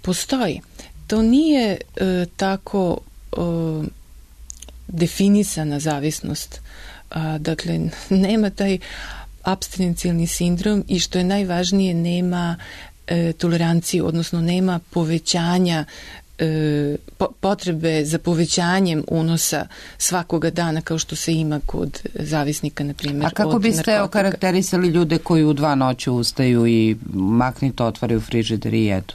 postoji. To nije uh, tako uh, definisana zavisnost. Uh, dakle, nema taj apstinencijalni sindrom i što je najvažnije, nema uh, toleranciju, odnosno nema povećanja po, potrebe za povećanjem unosa svakoga dana kao što se ima kod zavisnika, na primjer. A kako biste okarakterisali ljude koji u dva noću ustaju i maknito otvaraju frižider i jedu?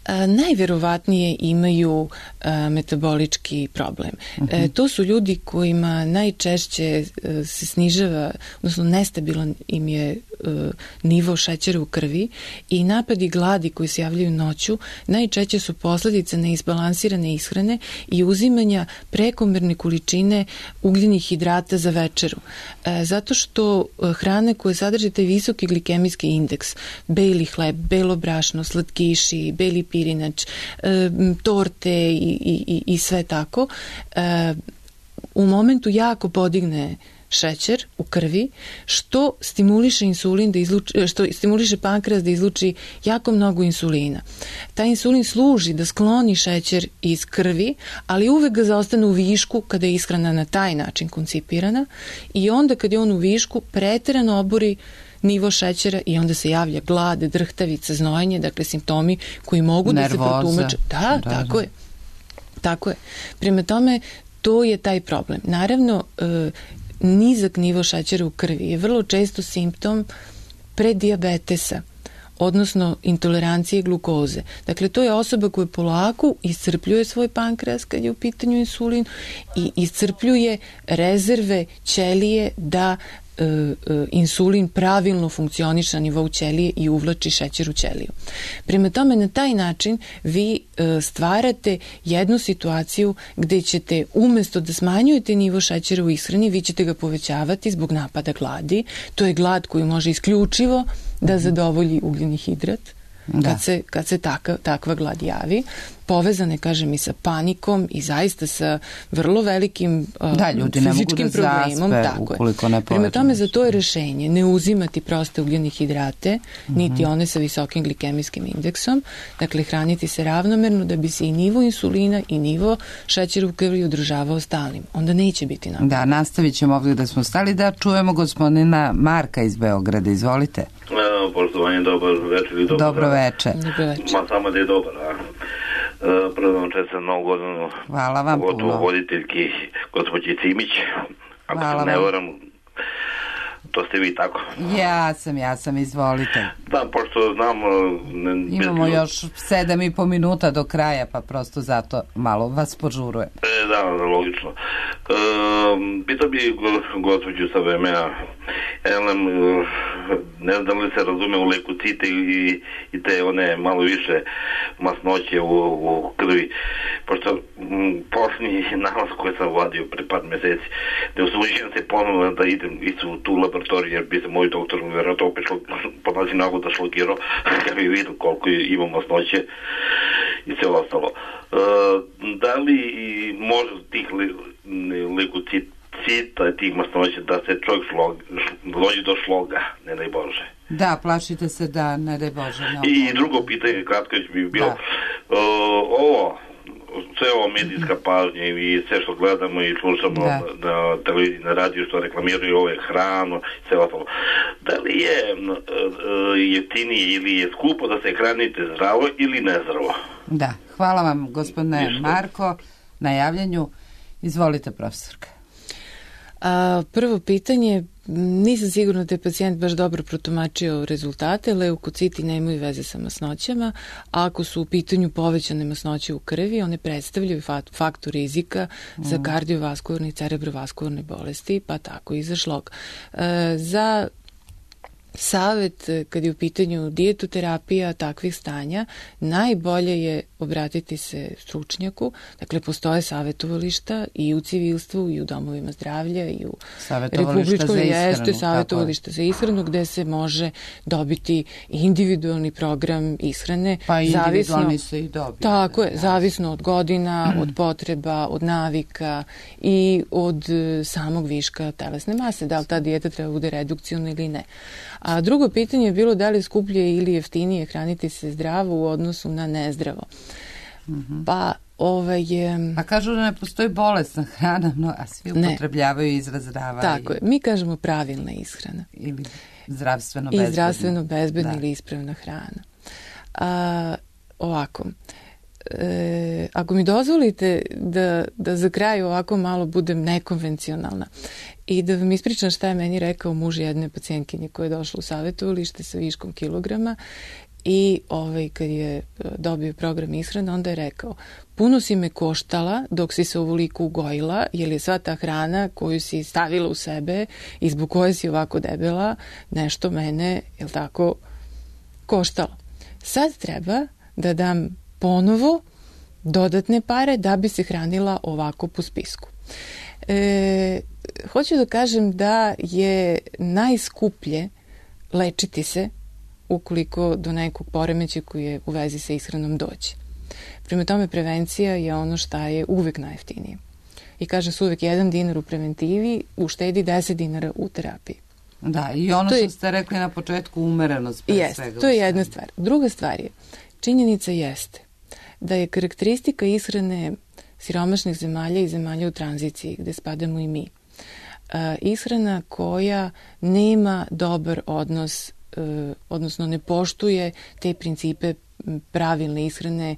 A, najverovatnije imaju a, metabolički problem. Uh-huh. E, to su ljudi kojima najčešće a, se snižava, odnosno nestabilan im je a, nivo šećera u krvi i napadi gladi koji se javljaju noću najčešće su posledice neizbalansirane ishrane i uzimanja prekomerne količine ugljenih hidrata za večeru. E, zato što a, hrane koje sadrže taj visoki glikemijski indeks, beli hleb, belo brašno, slatkiši, beli pirinač, e, torte i, i, i sve tako, e, u momentu jako podigne šećer u krvi, što stimuliše insulin da izluči, što stimuliše pankreas da izluči jako mnogo insulina. Taj insulin služi da skloni šećer iz krvi, ali uvek ga zaostane u višku kada je ishrana na taj način koncipirana i onda kad je on u višku preterano obori nivo šećera i onda se javlja glad, drhtavica, znojenje, dakle simptomi koji mogu nervoza, da se protumače. Da, da, tako je. Tako je. Prema tome, to je taj problem. Naravno, e, nizak nivo šećera u krvi je vrlo često simptom predijabetesa, odnosno intolerancije glukoze. Dakle, to je osoba koja polako iscrpljuje svoj pankreas kad je u pitanju insulin i iscrpljuje rezerve ćelije da insulin pravilno funkcioniše na nivou ćelije i uvlači šećer u ćeliju. Prema tome, na taj način vi stvarate jednu situaciju gde ćete umesto da smanjujete nivo šećera u ishrani, vi ćete ga povećavati zbog napada gladi. To je glad koju može isključivo da zadovolji ugljeni hidrat. Da. Kad se, kad se taka, takva glad javi, povezane, kažem, i sa panikom i zaista sa vrlo velikim uh, da, ljudi fizičkim ne mogu da problemom. Zaspe, tako ukoliko ne je. Prema tome, za to je rešenje ne uzimati proste ugljene hidrate, mm-hmm. niti one sa visokim glikemijskim indeksom, dakle hraniti se ravnomerno da bi se i nivo insulina i nivo šećera u krvi održavao stalnim. Onda neće biti napravljeno. Da, nastavit ćemo ovdje da smo stali, da čujemo gospodina Marka iz Beograda. Izvolite. E, poštovanje, dobar večer ili dobar Dobro večer. Dobro večer. Ma samo da je dobar, a? E, prvo vam čestam novu godinu. Hvala vam puno. Pogotovo voditeljki gospođi Cimić. Ako Hvala se ne vam. varam, to ste vi tako. Ja sam, ja sam, izvolite. Da, pošto znam... Ne, Imamo bez... još sedam i po minuta do kraja, pa prosto zato malo vas požuruje. E, da, logično. E, pitao bi gospođu sa V M A, Elem, ne znam li se razume u lekocite i, i te one malo više masnoće u, u krvi, pošto m, posljednji nalaz koji sam vadio pre par meseci, ne usuđujem se ponovno da idem isto u tu laboratoriju, jer bi se moj doktor vjerojatno opet šlo, po nazi nagoda šlogirao, kad bi vidio koliko ima masnoće i sve ostalo. E, da li može tih le, lekocita cita tih masnoća, da se čovjek slog, dođe do sloga, ne daj Bože. Da, plašite se da, ne daj Bože. Ne I drugo pitanje, kratko bi bilo, uh, ovo, sve ovo medijska pažnja i sve što gledamo i slušamo da. na televiziji, na radiju, što reklamiraju ove hranu, sve ostalo. Da li je uh, jeftinije ili je skupo da se hranite zdravo ili nezdravo? Da, hvala vam gospodine Ništa. Marko na javljanju. Izvolite, profesorka. A, prvo pitanje, nisam sigurna da je pacijent baš dobro protumačio rezultate. Leukociti nemaju veze sa masnoćama. Ako su u pitanju povećane masnoće u krvi, one predstavljaju faktor rizika mm. za kardiovaskularne i cerebrovaskularne bolesti, pa tako i za šlog. E, za savet kad je u pitanju dijetoterapija takvih stanja, najbolje je obratiti se stručnjaku. Dakle, postoje savetovališta i u civilstvu i u domovima zdravlja i u republičkom jeste savetovališta za ishranu gde se može dobiti individualni program ishrane. Pa individualni se i dobije. Tako je, zavisno od godina, od potreba, od navika i od samog viška telesne mase. Da li ta dijeta treba bude redukcijona ili ne. A drugo pitanje je bilo da li je skuplje ili jeftinije hraniti se zdravo u odnosu na nezdravo. Mm-hmm. Pa ovaj je... Pa kažu da ne postoji bolesna hrana, no, a svi upotrebljavaju izraz zdrava. Tako i... je, mi kažemo pravilna ishrana. Ili zdravstveno bezbedna. I zdravstveno bezbedna ili ispravna hrana. A, ovako, e, ako mi dozvolite da, da za kraj ovako malo budem nekonvencionalna i da vam ispričam šta je meni rekao muž jedne pacijentkinje koja je došla u savjetovalište sa viškom kilograma i ovaj, kad je dobio program ishrane, onda je rekao, puno si me koštala dok si se ovoliko ugojila, jer je sva ta hrana koju si stavila u sebe i zbog koje si ovako debela, nešto mene, jel tako, koštalo. Sad treba da dam ponovo dodatne pare da bi se hranila ovako po spisku. E, hoću da kažem da je najskuplje lečiti se ukoliko do nekog poremeća koji je u vezi sa ishranom dođe. Prema tome, prevencija je ono šta je uvek najjeftinije. I kaže se uvek jedan dinar u preventivi uštedi deset dinara u terapiji. Da, i ono to što je, ste rekli na početku, umerenost pre jest, svega. To je jedna stvar. Druga stvar je, činjenica jeste da je karakteristika ishrane siromašnih zemalja i zemalja u tranziciji, gde spadamo i mi, ishrana koja nema dobar odnos, odnosno ne poštuje te principe pravilne ishrane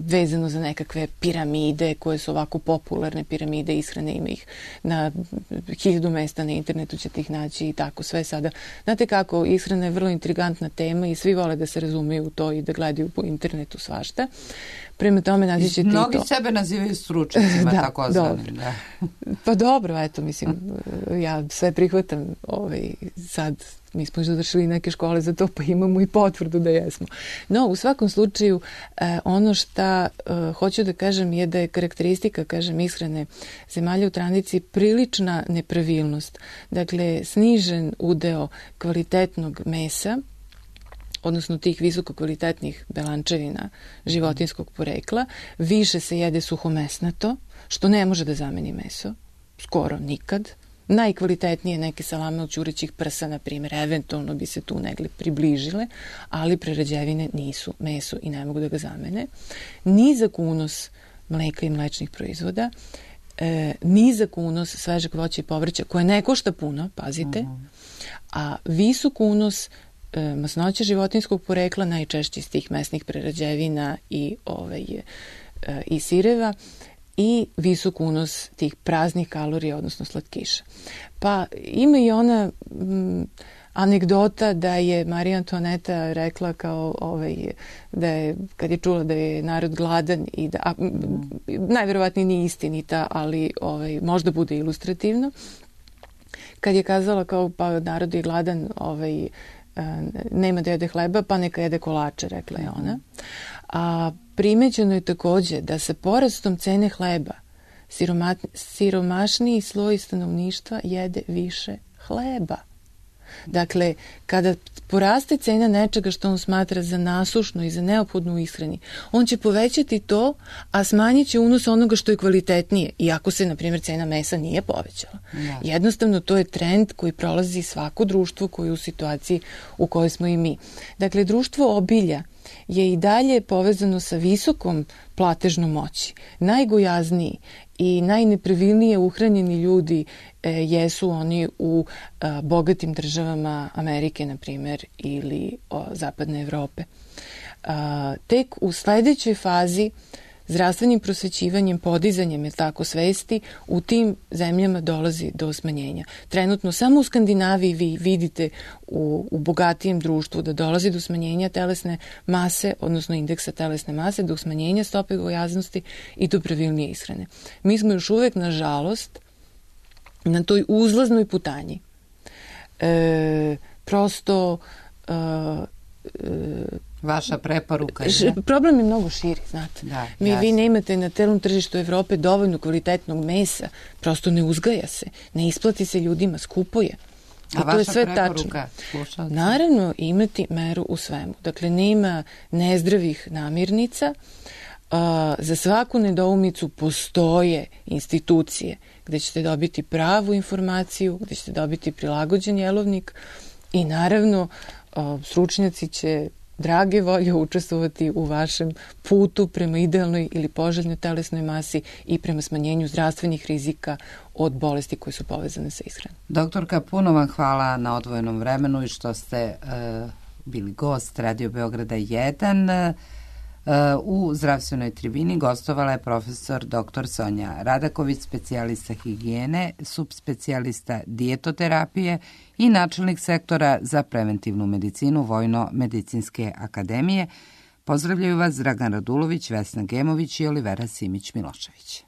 vezano za nekakve piramide koje su ovako popularne piramide ishrane, ima ih na hiljadu mesta na internetu, ćete ih naći i tako sve sada. Znate kako, ishrana je vrlo intrigantna tema i svi vole da se razumeju u to i da gledaju po internetu svašta. Prema tome naći ćete i to. Mnogi sebe nazivaju stručnicima, da, tako dobro. Da. Pa dobro, eto, mislim, ja sve prihvatam ovaj, sad. Mi smo završili neke škole za to, pa imamo i potvrdu da jesmo. No, u svakom slučaju, eh, ono šta eh, hoću da kažem je da je karakteristika, kažem, ishrane zemalja u tranziciji prilična nepravilnost. Dakle, snižen udeo kvalitetnog mesa, odnosno tih visoko kvalitetnih belančevina životinskog porekla, više se jede suhomesnato, što ne može da zameni meso, skoro nikad. Najkvalitetnije neke salame od ćurećih prsa, na primjer, eventualno bi se tu negdje približile, ali prerađevine nisu meso i ne mogu da ga zamene. Nizak unos mleka i mlečnih proizvoda, e, nizak unos svežeg voća i povrća, koje ne košta puno, pazite, a visok unos e, masnoća životinskog porekla, najčešće iz tih mesnih prerađevina i, ovaj, e, i sireva, i visok unos tih praznih kalorija, odnosno slatkiša. Pa ima i ona m, anegdota da je Marija Antoaneta rekla kao ovaj, da je, kad je čula da je narod gladan i da, a, m, najverovatnije nije istinita, ali ovaj, možda bude ilustrativno, kad je kazala kao pa narod je gladan, ovaj, nema da jede hleba, pa neka jede kolače, rekla je ona. A primećeno je takođe da sa porastom cene hleba siroma, siromašniji sloj stanovništva jede više hleba. Dakle, kada poraste cena nečega što on smatra za nasušno i za neophodno u ishrani, on će povećati to, a smanjit će unos onoga što je kvalitetnije, iako se, na primjer, cena mesa nije povećala. Da. Jednostavno, to je trend koji prolazi svako društvo koje je u situaciji u kojoj smo i mi. Dakle, društvo obilja je i dalje povezano sa visokom platežnom moći. Najgojazniji i najnepravilnije uhranjeni ljudi e, jesu oni u a, bogatim državama Amerike, na primjer, ili o, Zapadne Evrope. A, tek u sledećoj fazi zdravstvenim prosvećivanjem, podizanjem, je tako, svesti, u tim zemljama dolazi do smanjenja. Trenutno samo u Skandinaviji vi vidite u, u bogatijem društvu da dolazi do smanjenja telesne mase, odnosno indeksa telesne mase, do smanjenja stope gojaznosti i do pravilnije ishrane. Mi smo još uvek, nažalost, na toj uzlaznoj putanji. E, prosto... E, Vaša preporuka je? Problem je mnogo širi, znate. Da, Mi, vi nemate na celom tržištu Evrope dovoljno kvalitetnog mesa, prosto ne uzgaja se, ne isplati se ljudima, skupo je. A vaša je sve preporuka? Tačno. Naravno, imati meru u svemu. Dakle, nema nezdravih namirnica, uh, za svaku nedoumicu postoje institucije gde ćete dobiti pravu informaciju, gde ćete dobiti prilagođen jelovnik i naravno uh, stručnjaci će drage volje učestvovati u vašem putu prema idealnoj ili poželjnoj telesnoj masi i prema smanjenju zdravstvenih rizika od bolesti koje su povezane sa ishranom. Doktorka, puno vam hvala na odvojenom vremenu i što ste uh, bili gost Radio Beograda jedan. Uh, u zdravstvenoj tribini gostovala je profesor doktor Sonja Radaković, specijalista higijene, subspecijalista dijetoterapije i načelnik sektora za preventivnu medicinu Vojno-medicinske akademije. Pozdravljaju vas Dragan Radulović, Vesna Gemović i Olivera Simić-Milošević.